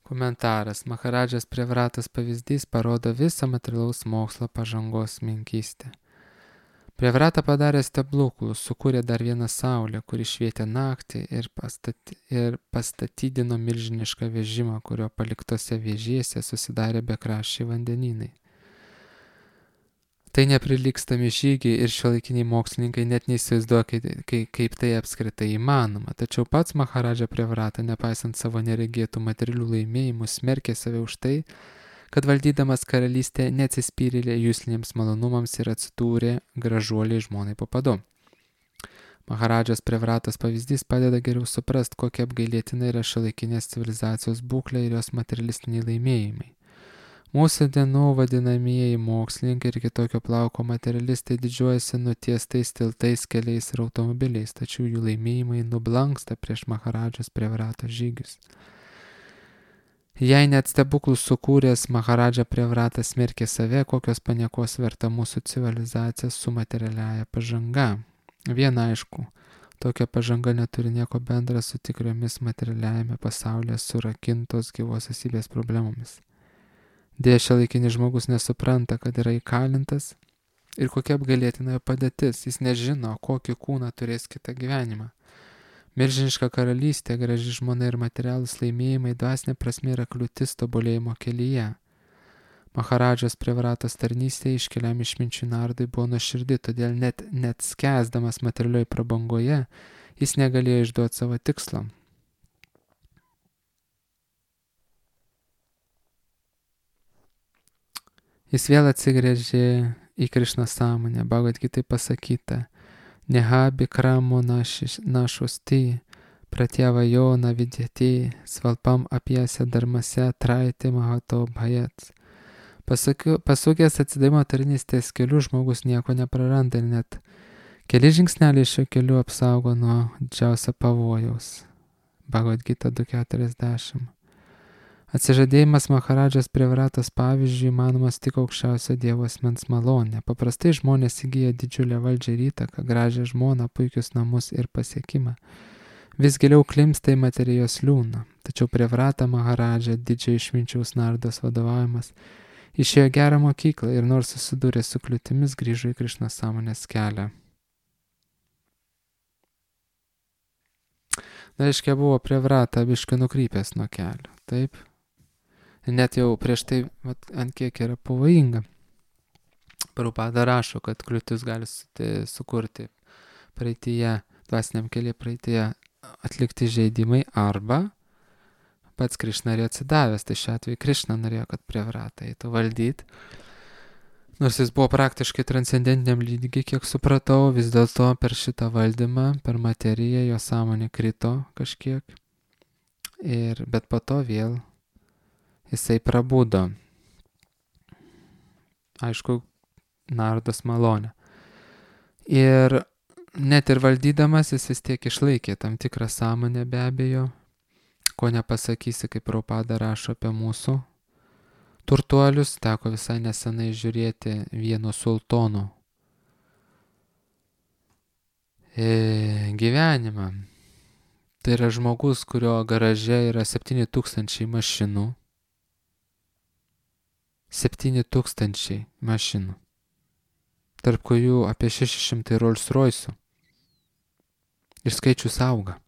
Komentaras. Maharadžas Prevratas pavyzdys parodo visą materialaus mokslo pažangos menkystę. Prevrata padarė stebuklus, sukūrė dar vieną saulę, kuri švietė naktį ir, pastat, ir pastatydino milžinišką vežimą, kurio paliktose vėžėse susidarė bekraščiai vandenynai. Tai neprilygstami žygiai ir šiuolaikiniai mokslininkai net neįsivaizduoja, kaip, kaip tai apskritai įmanoma. Tačiau pats Maharadža Prevrata, nepaisant savo neregėtų materialių laimėjimų, smerkė save už tai, kad valdydamas karalystę neatsispyrė jūsliniams malonumams ir atsidūrė gražuoliai žmonai po padu. Maharadžas Prevratos pavyzdys padeda geriau suprasti, kokia apgailėtina yra šiuolaikinės civilizacijos būklė ir jos materialistiniai laimėjimai. Mūsų dienų vadinamieji mokslininkai ir kitokio plauko materialistai didžiuojasi nutiestais tiltais, keliais ir automobiliais, tačiau jų laimėjimai nublanksta prieš Maharadžos Prevratos žygius. Jei net stebuklus sukūręs Maharadža Prevratas smerkė save, kokios paniekos verta mūsų civilizacija su materialiaja pažanga. Viena aišku, tokia pažanga neturi nieko bendra su tikriomis materialiajame pasaulyje surakintos gyvos esybės problemomis. Deja, šiuolaikinis žmogus nesupranta, kad yra įkalintas ir kokia apgailėtina jo padėtis. Jis nežino, kokį kūną turės kitą gyvenimą. Milžiniška karalystė, graži žmona ir materialūs laimėjimai dvasinė prasme yra kliūtis tobulėjimo kelyje. Maharadžos Prevratos tarnystė iškeliam išminčių Nardai buvo nuoširdi, todėl net, net skęsdamas materialioj prabangoje, jis negalėjo išduoti savo tikslo. Jis vėl atsigręžė į Krišnos sąmonę, Bhagavad Gitai pasakyta, Neha bikramo našosti, pratyavajo navidyati, svalpam apiese darmase traiti mahato bhajat. Pasukęs atsidavimo tarnystės keliu žmogus nieko nepraranda ir net keli žingsneliai šio keliu apsaugo nuo didžiausio pavojaus. Bhagavad Gita du keturiasdešimt. Atsižadėjimas Maharadžos Prevratos pavyzdžiui įmanomas tik aukščiausio Dievo asmens malonė. Paprastai žmonės įgyja didžiulę valdžią ir įtaką, gražią žmoną, puikius namus ir pasiekimą. Vis giliau klimpsta į materijos liūną. Tačiau Prevrata Maharadža, didžiojo išminčiaus Nardos vadovaujamas, išėjo gerą mokyklą ir nors susidūrė su kliūtimis, grįžo į Krišnos sąmonės kelią. Na, reiškia, buvo Prevrata biškai nukrypęs nuo kelio. Taip? Net jau prieš tai vat, ant kiek yra pavojinga. Prabhupada rašo, kad kliūtis gali sukurti praeityje, dvasiniam kelyje praeityje atlikti žaidimai arba pats Krišna yra atsidavęs. Tai šiuo atveju Krišna norėjo, kad Prevrata eitų valdyti. Nors jis buvo praktiškai transcendentiniam lygiai, kiek supratau, vis dėlto per šitą valdymą, per materiją jo sąmonė krito kažkiek. Ir, bet po to vėl jisai prabudo. Aišku, Nardos malonė. Ir net ir valdydamas jis vis tiek išlaikė tam tikrą sąmonę be abejo, ko nepasakysi, kaip Prabhupada rašo apie mūsų turtuolius. Teko visai nesenai žiūrėti vieno sultono e, gyvenimą. Tai yra žmogus, kurio garaže yra septyni tūkstančiai mašinų. septyni tūkstančiai mašinų. Tarp kurių apie šeši šimtai Rolls Royce'ų. Ir skaičius auga.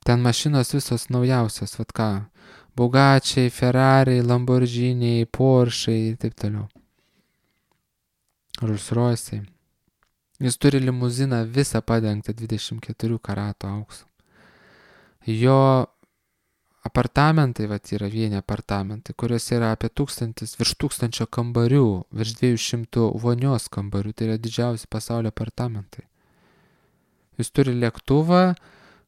Ten mašinos visos naujausios, vat ką, Bugačiai, Ferrariai, Lamborghiniai, Porschai ir taip toliau. Rolls Royce'ai. Jis turi limuziną visą padengtą dvidešimt keturių karatų auksu. Jo apartamentai, vat yra vieni apartamentai, kuriuose yra apie tūkstantis, virš tūkstančio kambarių, virš dviejų šimtų vonios kambarių, tai yra didžiausi pasaulio apartamentai. Jis turi lėktuvą,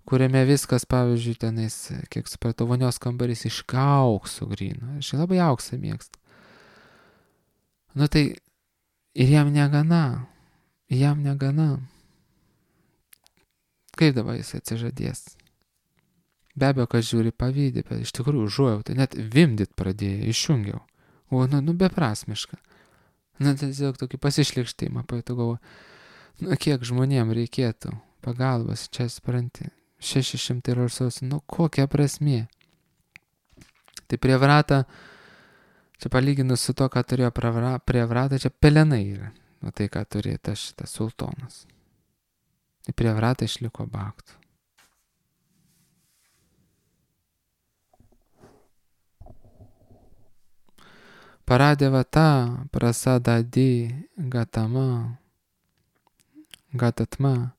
kuriame viskas, pavyzdžiui, tenais, kiek supratau, vonios kambarys iš aukso gryno. Aš labai auksą mėgstu. Nu tai ir jam negana. Jam negana. Kaip dabar jis atsižadės? Be abejo, kad žiūri pavydį, bet iš tikrųjų užuojauta, net vimdyt pradėjo, išjungiau. O, nu, nu, beprasmiška. Nu, tiesiog tokį pasišlikštėjimą, pajutau galvo, nu, kiek žmonėm reikėtų pagalbos, čia supranti, šeši šimtai Rolls-Royce, nu, kokia prasmė? Tai prie Vratą, čia palyginus su to, ką turėjo prie Vratą, čia pelenai yra, nu, tai, ką turėjo tas šitas sultonas. Tai prie Vratą išliko baktų. Paradevata prasadadi gatama gatatma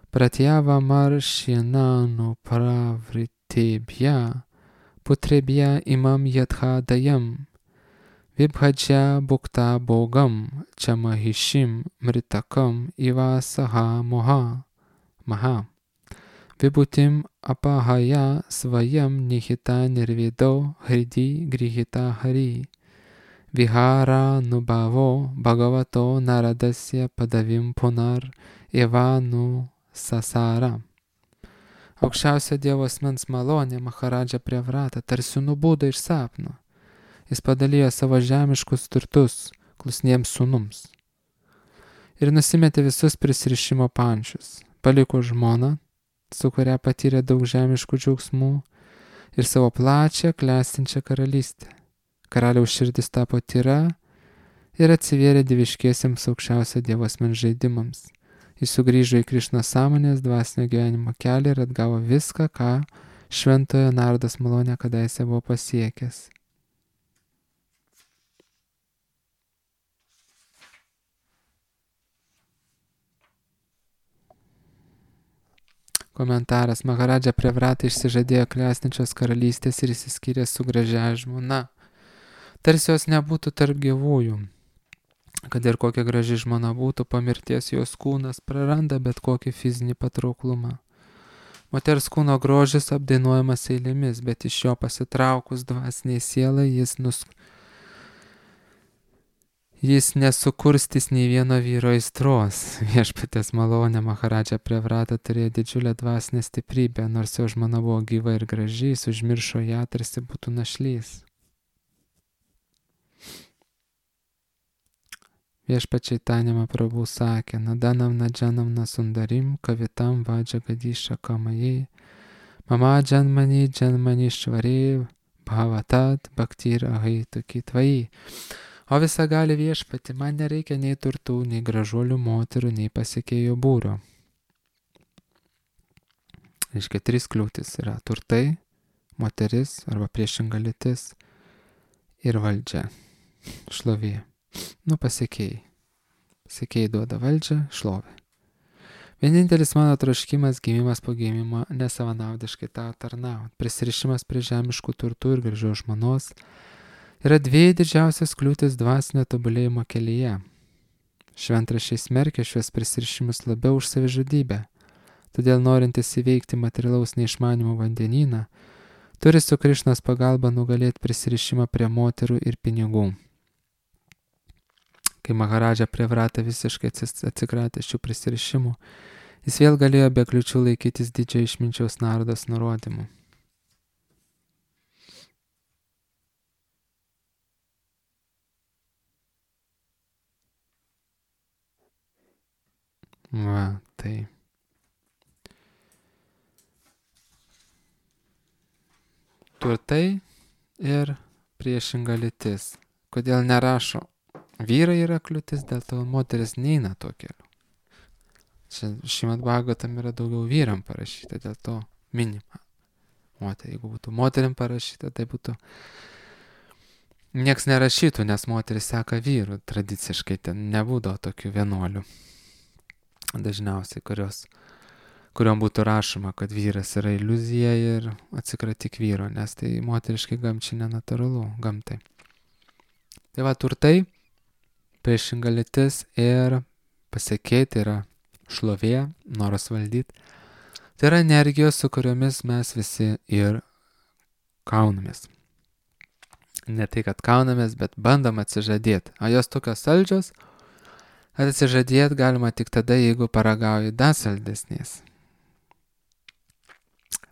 pratyava maršinanu pravritebhya putrebhya imam yadhadayam vibhadžya bukta bogam chamahishim mritakam ivasaha moha maha vibhutim apahaya svayam nihita nirvido hridi grihita hari Vihara nubhavo bhagavato naradasya padavim punar evanu sasara. Aukščiausio Dievo asmens malonė Maharadža prie Vrata tarsi nubudo iš sapno. Jis padalijo savo žemiškus turtus klusniems sūnums. Ir nusimetė visus prisirišimo pančius. Paliko žmoną, su kuria patyrė daug žemiškų džiaugsmų, ir savo plačią klestinčią karalystę. Karaliaus širdis tapo tyra ir atsivėrė dieviškiesiems aukščiausio Dievo asmens žaidimams. Jis sugrįžo į Krišnos sąmonės dvasinio gyvenimo kelią ir atgavo viską, ką šventojo Nardos malonė kadaise buvo pasiekęs. Komentaras. Maharadža prie Vrata išsižadėjo klestinčios karalystės ir išsiskyrė su gražia žmona. Tarsi jos nebūtų tarp gyvųjų. Kad ir kokia graži žmona būtų, po mirties jos kūnas praranda bet kokį fizinį patrauklumą. Moters kūno grožis apdainuojamas eilėmis, bet iš jo pasitraukus dvasiniai sielai jis, nus... jis nesukurstys nei vieno vyro aistros. Viešpaties malonė Maharadža prie Vrata turėjo didžiulę dvasinę stiprybę, nors jo žmona buvo gyva ir graži, jis užmiršo ją, tarsi būtų našlys. Viešpačiai Tanima Prabhu sakė, nadanam nadžanam nasundarim, kavitam vadža gadysha kamajai, mama džanmani džanmani švarė, bhavatat bhaktir ahaitu kitvai. O visa gali viešpati, man nereikia nei turtų, nei gražuolių moterų, nei pasiekėjų būro. Reiškia, trys kliūtis yra turtai, moteris arba priešinga lytis ir valdžia, šlovė. Nu, pasiekėjai. Pasiekėjai duoda valdžią, šlovę. Vienintelis mano troškimas gimimas po gimimo nesavanaudiškai tau tarnaut. Prisirišimas prie žemiškų turtų ir gražios žmonos yra dviejų didžiausias kliūtis dvasinio tobulėjimo kelyje. Šventraščiai smerkia šios prisirišimus labiau už savižudybę. Todėl norintis įveikti materialaus neišmanimo vandenyną, turi su Krišnos pagalba nugalėti prisirišimą prie moterų ir pinigų. Kai Maharadža prie Vrata visiškai atsikratė šių prisirišimų, jis vėl galėjo be kliučių laikytis didžiojo išminčiaus Nardos nurodymų. Va, tai. Turtai ir priešinga lytis. Kodėl nerašo? Vyrai yra kliūtis, dėl to moteris neina tuo keliu. Čia Šrimad Bhagavatam yra daugiau vyram parašyta, dėl to minima. moterį. Jeigu būtų moterim parašyta, tai būtų nieks nerašytų, nes moteris seka vyrų. Tradiciškai ten nebūdavo tokių vienuolių. Dažniausiai, kurios, kuriuom būtų rašoma, kad vyras yra iliuzija ir atsikratyk vyro, nes tai moteriškai gamčiai nenatūralu gamtai. Tai va, turtai, priešinga lytis ir pasiekėjai, tai yra šlovė, noras valdyti. Tai yra energijos, su kuriomis mes visi ir kaunamės. Ne tai, kad kaunamės, bet bandom atsižadėti. O jos tokios saldžios, kad atsižadėti galima tik tada, jeigu paragauji dar saldesnės.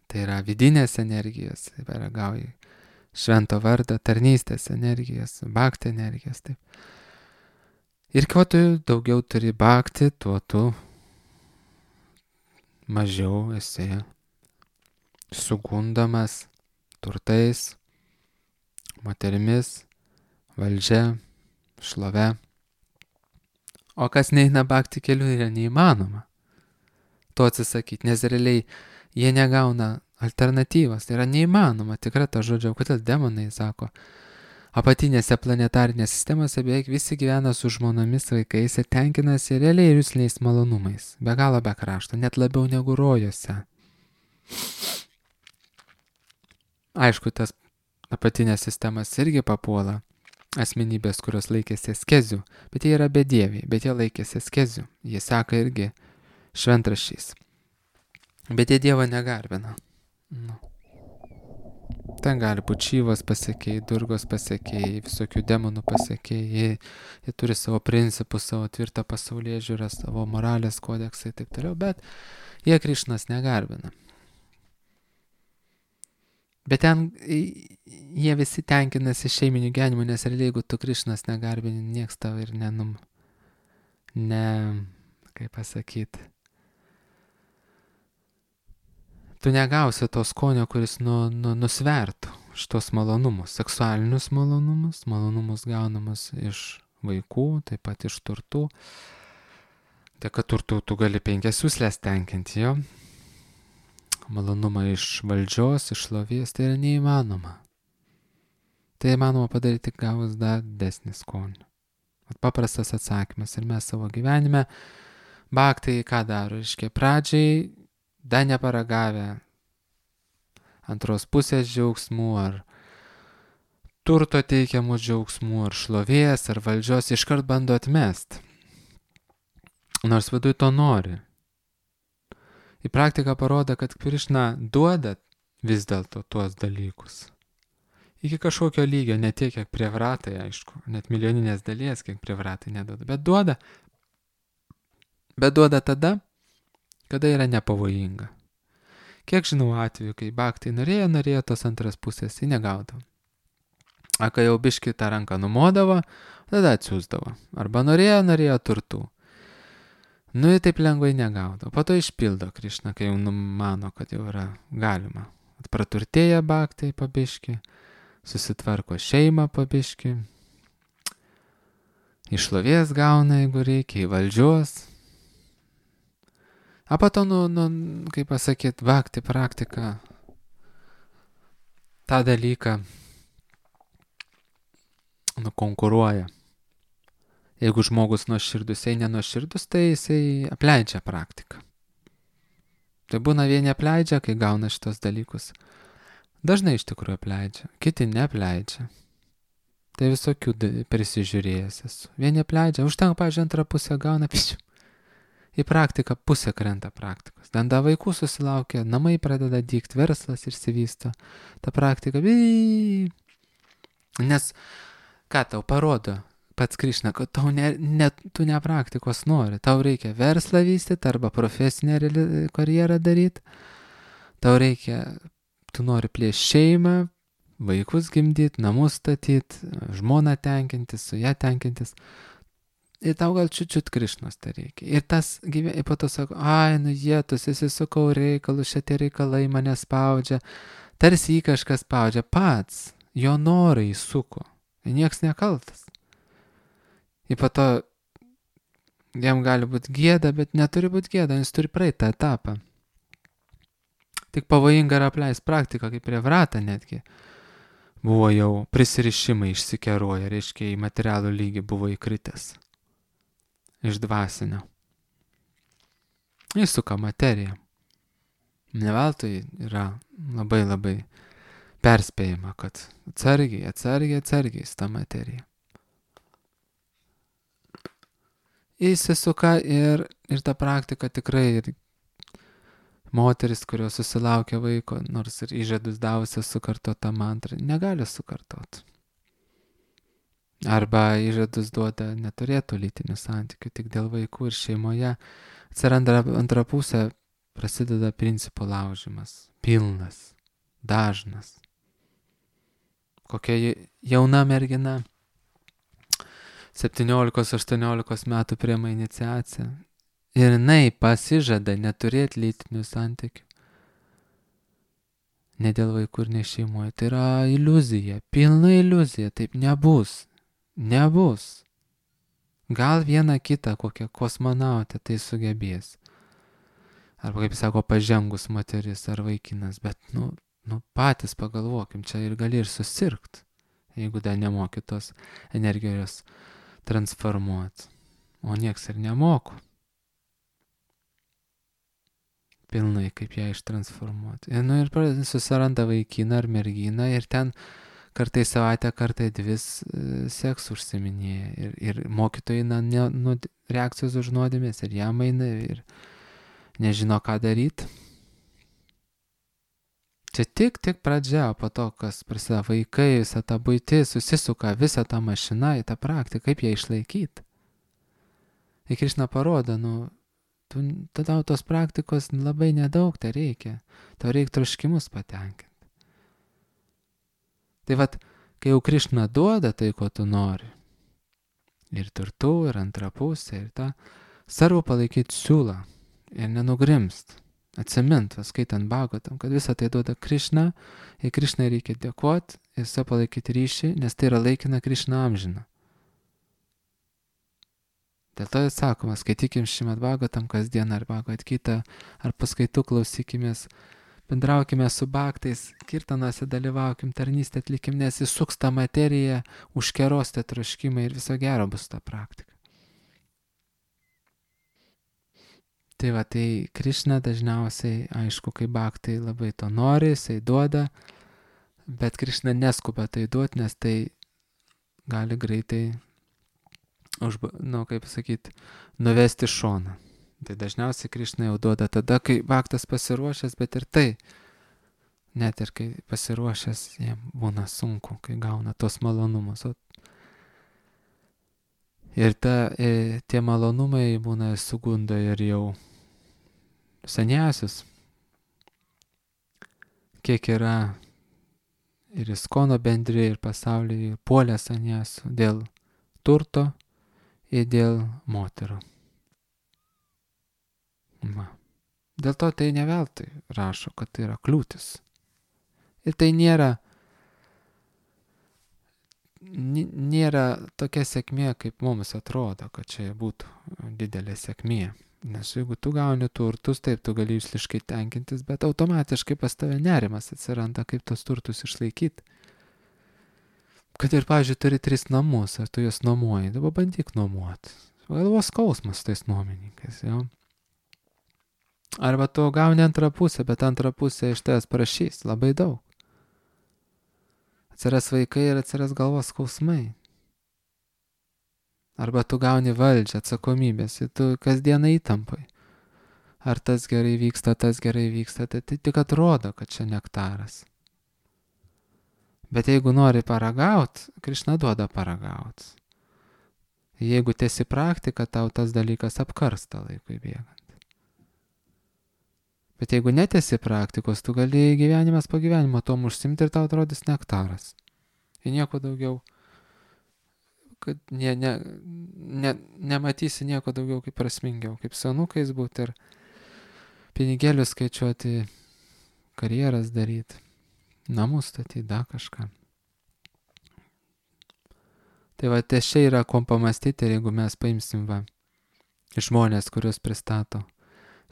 Tai yra vidinės energijos, tai paragauji švento vardą, tarnystės energijos, bhakti energijos. Taip. Ir kuo tu daugiau turi bhakti, tuo tu mažiau esi sugundamas turtais, moterimis, valdžia, šlove. O kas neina bhakti keliu, yra neįmanoma to atsisakyti, nes realiai jie negauna alternatyvos. Tai yra neįmanoma, tikra ta žodžio, kodėl demonai sako, apatinėse planetarinėse sistemose beveik visi gyvena su žmonomis, vaikais ir tenkinasi realiai ir jūsliais malonumais. Be galo be krašto, net labiau negu rojose. Aišku, tas apatinės sistemas irgi papuola asmenybės, kurios laikėsi askezių, bet jie yra bedieviai, bet jie laikėsi askezių. Jie seka irgi šventraščiais. Bet jie Dievą negarbina. Nu. Ten gali būti Šyvos pasiekėjai, Durgos pasiekėjai, visokių demonų pasiekėjai. Jie, jie turi savo principus, savo tvirtą pasaulėžiūrą, savo moralės kodeksą ir taip toliau, bet jie Krišnos negarbina. Bet ten jie visi tenkinasi šeiminiu gyvenimu, nes realiai jeigu tu Krišnos negarbini, nieks tau ir nenum, ne, kaip pasakyti, tu negausi to skonio, kuris nu, nu, nusvertų šitos malonumus, seksualinius malonumus, malonumus gaunamus iš vaikų, taip pat iš turtų. Dėka turtų tu gali penkias jūslės tenkinti, jo. Malonumą iš valdžios, iš šlovės, tai yra neįmanoma. Tai įmanoma padaryti tik gavus dar didesnį skonį. Paprastas atsakymas. Ir mes savo gyvenime bhaktai ką daro? Reiškia, pradžiai dar neparagavę antros pusės džiaugsmų, ar turto teikiamų džiaugsmų, ar šlovės, ar valdžios, iškart bando atmest. Nors viduj to nori. Į praktiką parodo, kad Krišna duoda vis dėlto tuos dalykus. Iki kažkokio lygio, ne tiek, kiek prievratai, aišku, net milijoninės dalies, kiek prievratai neduoda, bet duoda. Bet duoda tada, kada yra nepavojinga. Kiek žinau atveju, kai bhaktai norėjo, norėjo tos antras pusės, tai negaudavo. A kai jau biški tą ranką numodavo, tada atsiųsdavo. Arba norėjo, norėjo turtų. Nu, jie taip lengvai negaudavo. Po to išpildo Krišna, kai jau numano, kad jau yra galima. Praturtėja bhaktai pabiški, susitvarko šeimą pabiški, išlovės gauna, jeigu reikia, į valdžios. A po to, nu, nu, kaip pasakyti, bhakti praktika tą dalyką nukonkuruoja. Jeigu žmogus nuoširdus, jei nenuoširdus, tai jisai apleidžia praktiką. Tai būna vieni apleidžia, kai gauna šitos dalykus. Dažnai iš tikrųjų apleidžia, kiti neapleidžia. Tai visokių prisižiūrėjęs esu. Vieni apleidžia, užtenka, pavyzdžiui, antrą pusę gauna, pišiu. Į praktiką pusę krenta praktikos. Danda vaikų susilaukia, namai pradeda dykt, verslas išsivysto. Ta praktika, bii. Nes ką tau parodo pats Krišna, kad tau ne, ne, tu ne praktikos nori. Tau reikia verslą vystyti arba profesinę karjerą daryti. Tau reikia, tu nori plėsti šeimą, vaikus gimdyti, namus statyti, žmoną tenkintis, su ją tenkintis. Ir tau gal čiut-čiut Krišnos tai reikia. Ir tas gyvenimas, po to sako, ai, nu jėtus, įsisukau reikalus, šitie reikalai mane spaudžia. Tarsi jį kažkas spaudžia. Pats jo norai įsuko. Ir nieks nekaltas. Ir po to jam gali būti gėda, bet neturi būti gėda, jis turi praeiti tą etapą. Tik pavojinga yra apleist praktiką, kaip prie vratą netgi. Buvo jau prisirišimai išsikeroja, reiškia į materialų lygį buvo įkritęs. Iš dvasinio. Įsuka materiją. Neveltui yra labai labai perspėjama, kad atsargiai, atsargiai, atsargiai su ta materija. Įsisuka ir, ir ta praktika tikrai ir moteris, kurios susilaukia vaiko, nors ir įžadus davusios sukartot tą mantrą, negali sukartot. Arba įžadus duoda neturėtų lytinių santykių, tik dėl vaikų ir šeimoje atsiranda antra pusė, prasideda principų laužimas, pilnas, dažnas. Kokia jauna mergina, septyniolikos aštuoniolikos metų priima iniciaciją ir jinai pasižada neturėti lytinių santykių. Ne dėl vaikų ir ne šeimoje. Tai yra iliuzija, pilna iliuzija, taip nebus. Nebus. Gal vieną kitą kokią kosmonautę tai sugebės. Arba, kaip sako, pažengus moteris ar vaikinas, bet, nu, nu patys pagalvokim, čia ir gali ir susirgt, jeigu dar nemoki tos energijos transformuoti. O nieks ir nemoko. Pilnai, kaip ją ištransformuoti. Ir, nu, ir susiranda vaikiną ar merginą ir ten kartai savaitę, kartai dvi seks užsiminėja. Ir, ir mokytojai, na, ne, nu, reakcijos už nuodėmės ir jam eina ir nežino, ką daryti. Čia tik, tik pradžia, po to, kas prasideda vaikai, visą tą buitį, susisuka visą tą mašiną į tą praktiką, kaip ją išlaikyti. Ir Krišna parodo, nu, tu, tada tos praktikos labai nedaug tai reikia. Tau reikia troškimus patenkinti. Tai vat, kai jau Krišna duoda tai, ko tu nori, ir turtų, ir antrą pusę, ir tą, svarbu palaikyti siūlą ir nenugrimst. Atsimint, skaitant Bhagavatam, kad visą tai duoda Krišna, ir Krišnai reikia dėkoti, ir su palaikyti ryšį, nes tai yra laikina, Krišna amžina. Dėl to sakoma, skaitykim Šrimad Bhagavatam kasdien ar Bhagavad Gitą, ar paskaitų klausykimės, bendraukime su bhaktais, kirtanuose dalyvaukim, tarnystę atlikim, nes įsuks tą materiją, užkeros tą troškimą ir viso gero bus ta praktika. Tai va, tai Krišna dažniausiai, aišku, kai bhaktai labai to nori, jisai duoda, bet Krišna neskuba tai duoti, nes tai gali greitai, užba, nu, kaip sakyti, nuvesti šoną. Tai dažniausiai Krišna jau duoda tada, kai bhaktas pasiruošęs, bet ir tai, net ir kai pasiruošęs, jam būna sunku, kai gauna tos malonumus. Ir ta, e, tie malonumai būna sugunda ir jau seniausius, kiek yra ir Iskono bendrė, ir pasaulyje puolė seniausių dėl turto ir dėl moterų. Va. Dėl to tai ne veltui rašo, kad tai yra kliūtis. Ir tai nėra, nėra tokia sėkmė, kaip mums atrodo, kad čia būtų didelė sėkmė. Nes jeigu tu gauni turtus, taip tu gali išliškai tenkintis, bet automatiškai pas tave nerimas atsiranda, kaip tos turtus išlaikyti. Kad ir, pavyzdžiui, turi tris namus, ar tu juos nuomuoji, dabar bandyk nuomuoti. Galvos skausmas tais nuomininkais, jau. Arba tu gauni antrą pusę, bet antrą pusę iš tavęs prašys labai daug. Atsiras vaikai ir atsiras galvos skausmai. Arba tu gauni valdžią, atsakomybės ir tu kasdieną įtampai. Ar tas gerai vyksta, tas gerai vyksta, tai, tai tik atrodo, kad čia nektaras. Bet jeigu nori paragaut, Krišna duoda paragaut. Jeigu tiesi praktika, tau tas dalykas apkarsta laikui bėgant. Bet jeigu netesi praktikos, tu gali gyvenimas po gyvenimo tom užsimti ir tau atrodys nektaras. Ir nieko daugiau, kad ne, ne, ne, nematysi nieko daugiau kaip prasmingiau, kaip su anūkais būti ir pinigėlius skaičiuoti, karjeras daryti, namus statyti, da kažką. Tai va, ties čia yra kom pamastyti, ir jeigu mes paimsim va, žmonės, kuriuos pristato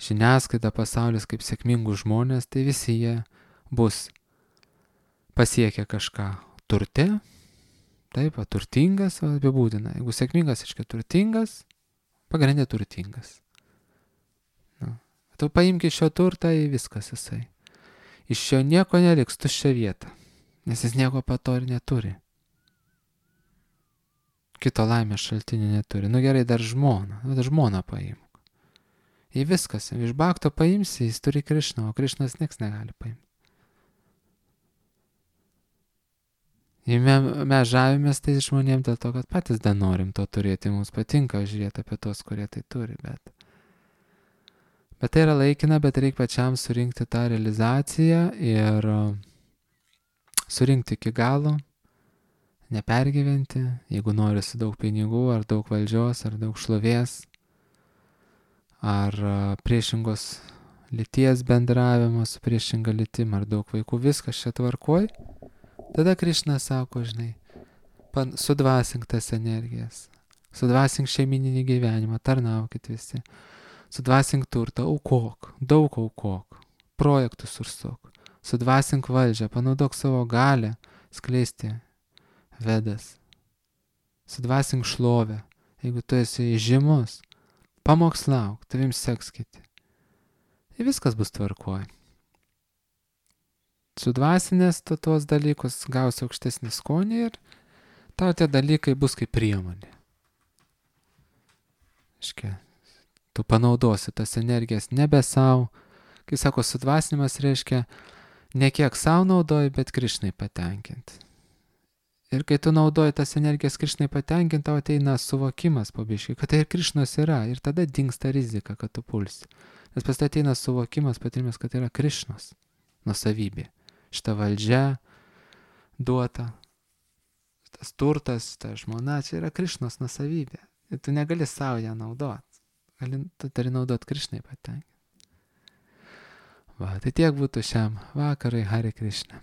žiniasklaida, pasaulis kaip sėkmingų žmonės, tai visi jie bus pasiekę kažką turte, taip, va, turtingas, va, apibūdina. Jeigu sėkmingas, reiškia turtingas, pagrindė turtingas. Nu, tu paimk iš šio turtą į viskas jisai. Iš šio nieko neliks, tuščia vieta, nes jis nieko pato ir neturi. Kito laimės šaltinio neturi. Nu gerai, dar žmoną, nu, dar žmoną paimk. Į viskas, iš Bhakto paimsi, jis turi Krišną, o Krišnas nieks negali paimti. Ir mes, mes žavimės tai žmonėm dėl to, kad patys dar norim to turėti, mums patinka žiūrėti apie tos, kurie tai turi, bet, bet tai yra laikina, bet reikia pačiam surinkti tą realizaciją ir surinkti iki galo, nepergyventi, jeigu nori su daug pinigų, ar daug valdžios, ar daug šlovės, ar priešingos lyties bendravimo su priešinga lytim, ar daug vaikų, viskas čia tvarkoj. Tada Krišna sako, žinai, sudvasink tas energijas, sudvasink šeimininį gyvenimą, tarnaukit visi, sudvasink turtą, aukok, daug aukok, projektus užsuk, sudvasink valdžią, panaudok savo galę skleisti vedas, sudvasink šlovę, jeigu tu esi žymus, pamokslauk, tavim seks kiti. Ir viskas bus tvarkoj. Sudvasinės tu tuos dalykus gausi aukštesnį skonį ir tau tie dalykai bus kaip priemonė. Iškia, tu panaudosi tas energijas nebe savo. Kai sako sudvasinimas, reiškia ne kiek savo naudoji, bet Krišnai patenkinti. Ir kai tu naudoji tas energijas Krišnai patenkinti, tau ateina suvokimas pabiškai, kad tai ir Krišnos yra. Ir tada dingsta rizika, kad tu pulsi. Nes pas tai ateina suvokimas, patyrimas, kad tai yra Krišnos nuosavybė. Šita valdžia duota, tas turtas, ta žmona, čia yra Krišnos nuosavybė. Ir tu negali savo ją naudoti. Gali, tu turi naudoti Krišnai patenkinti. Va, tai tiek būtų šiam vakarui. Hare Krishna.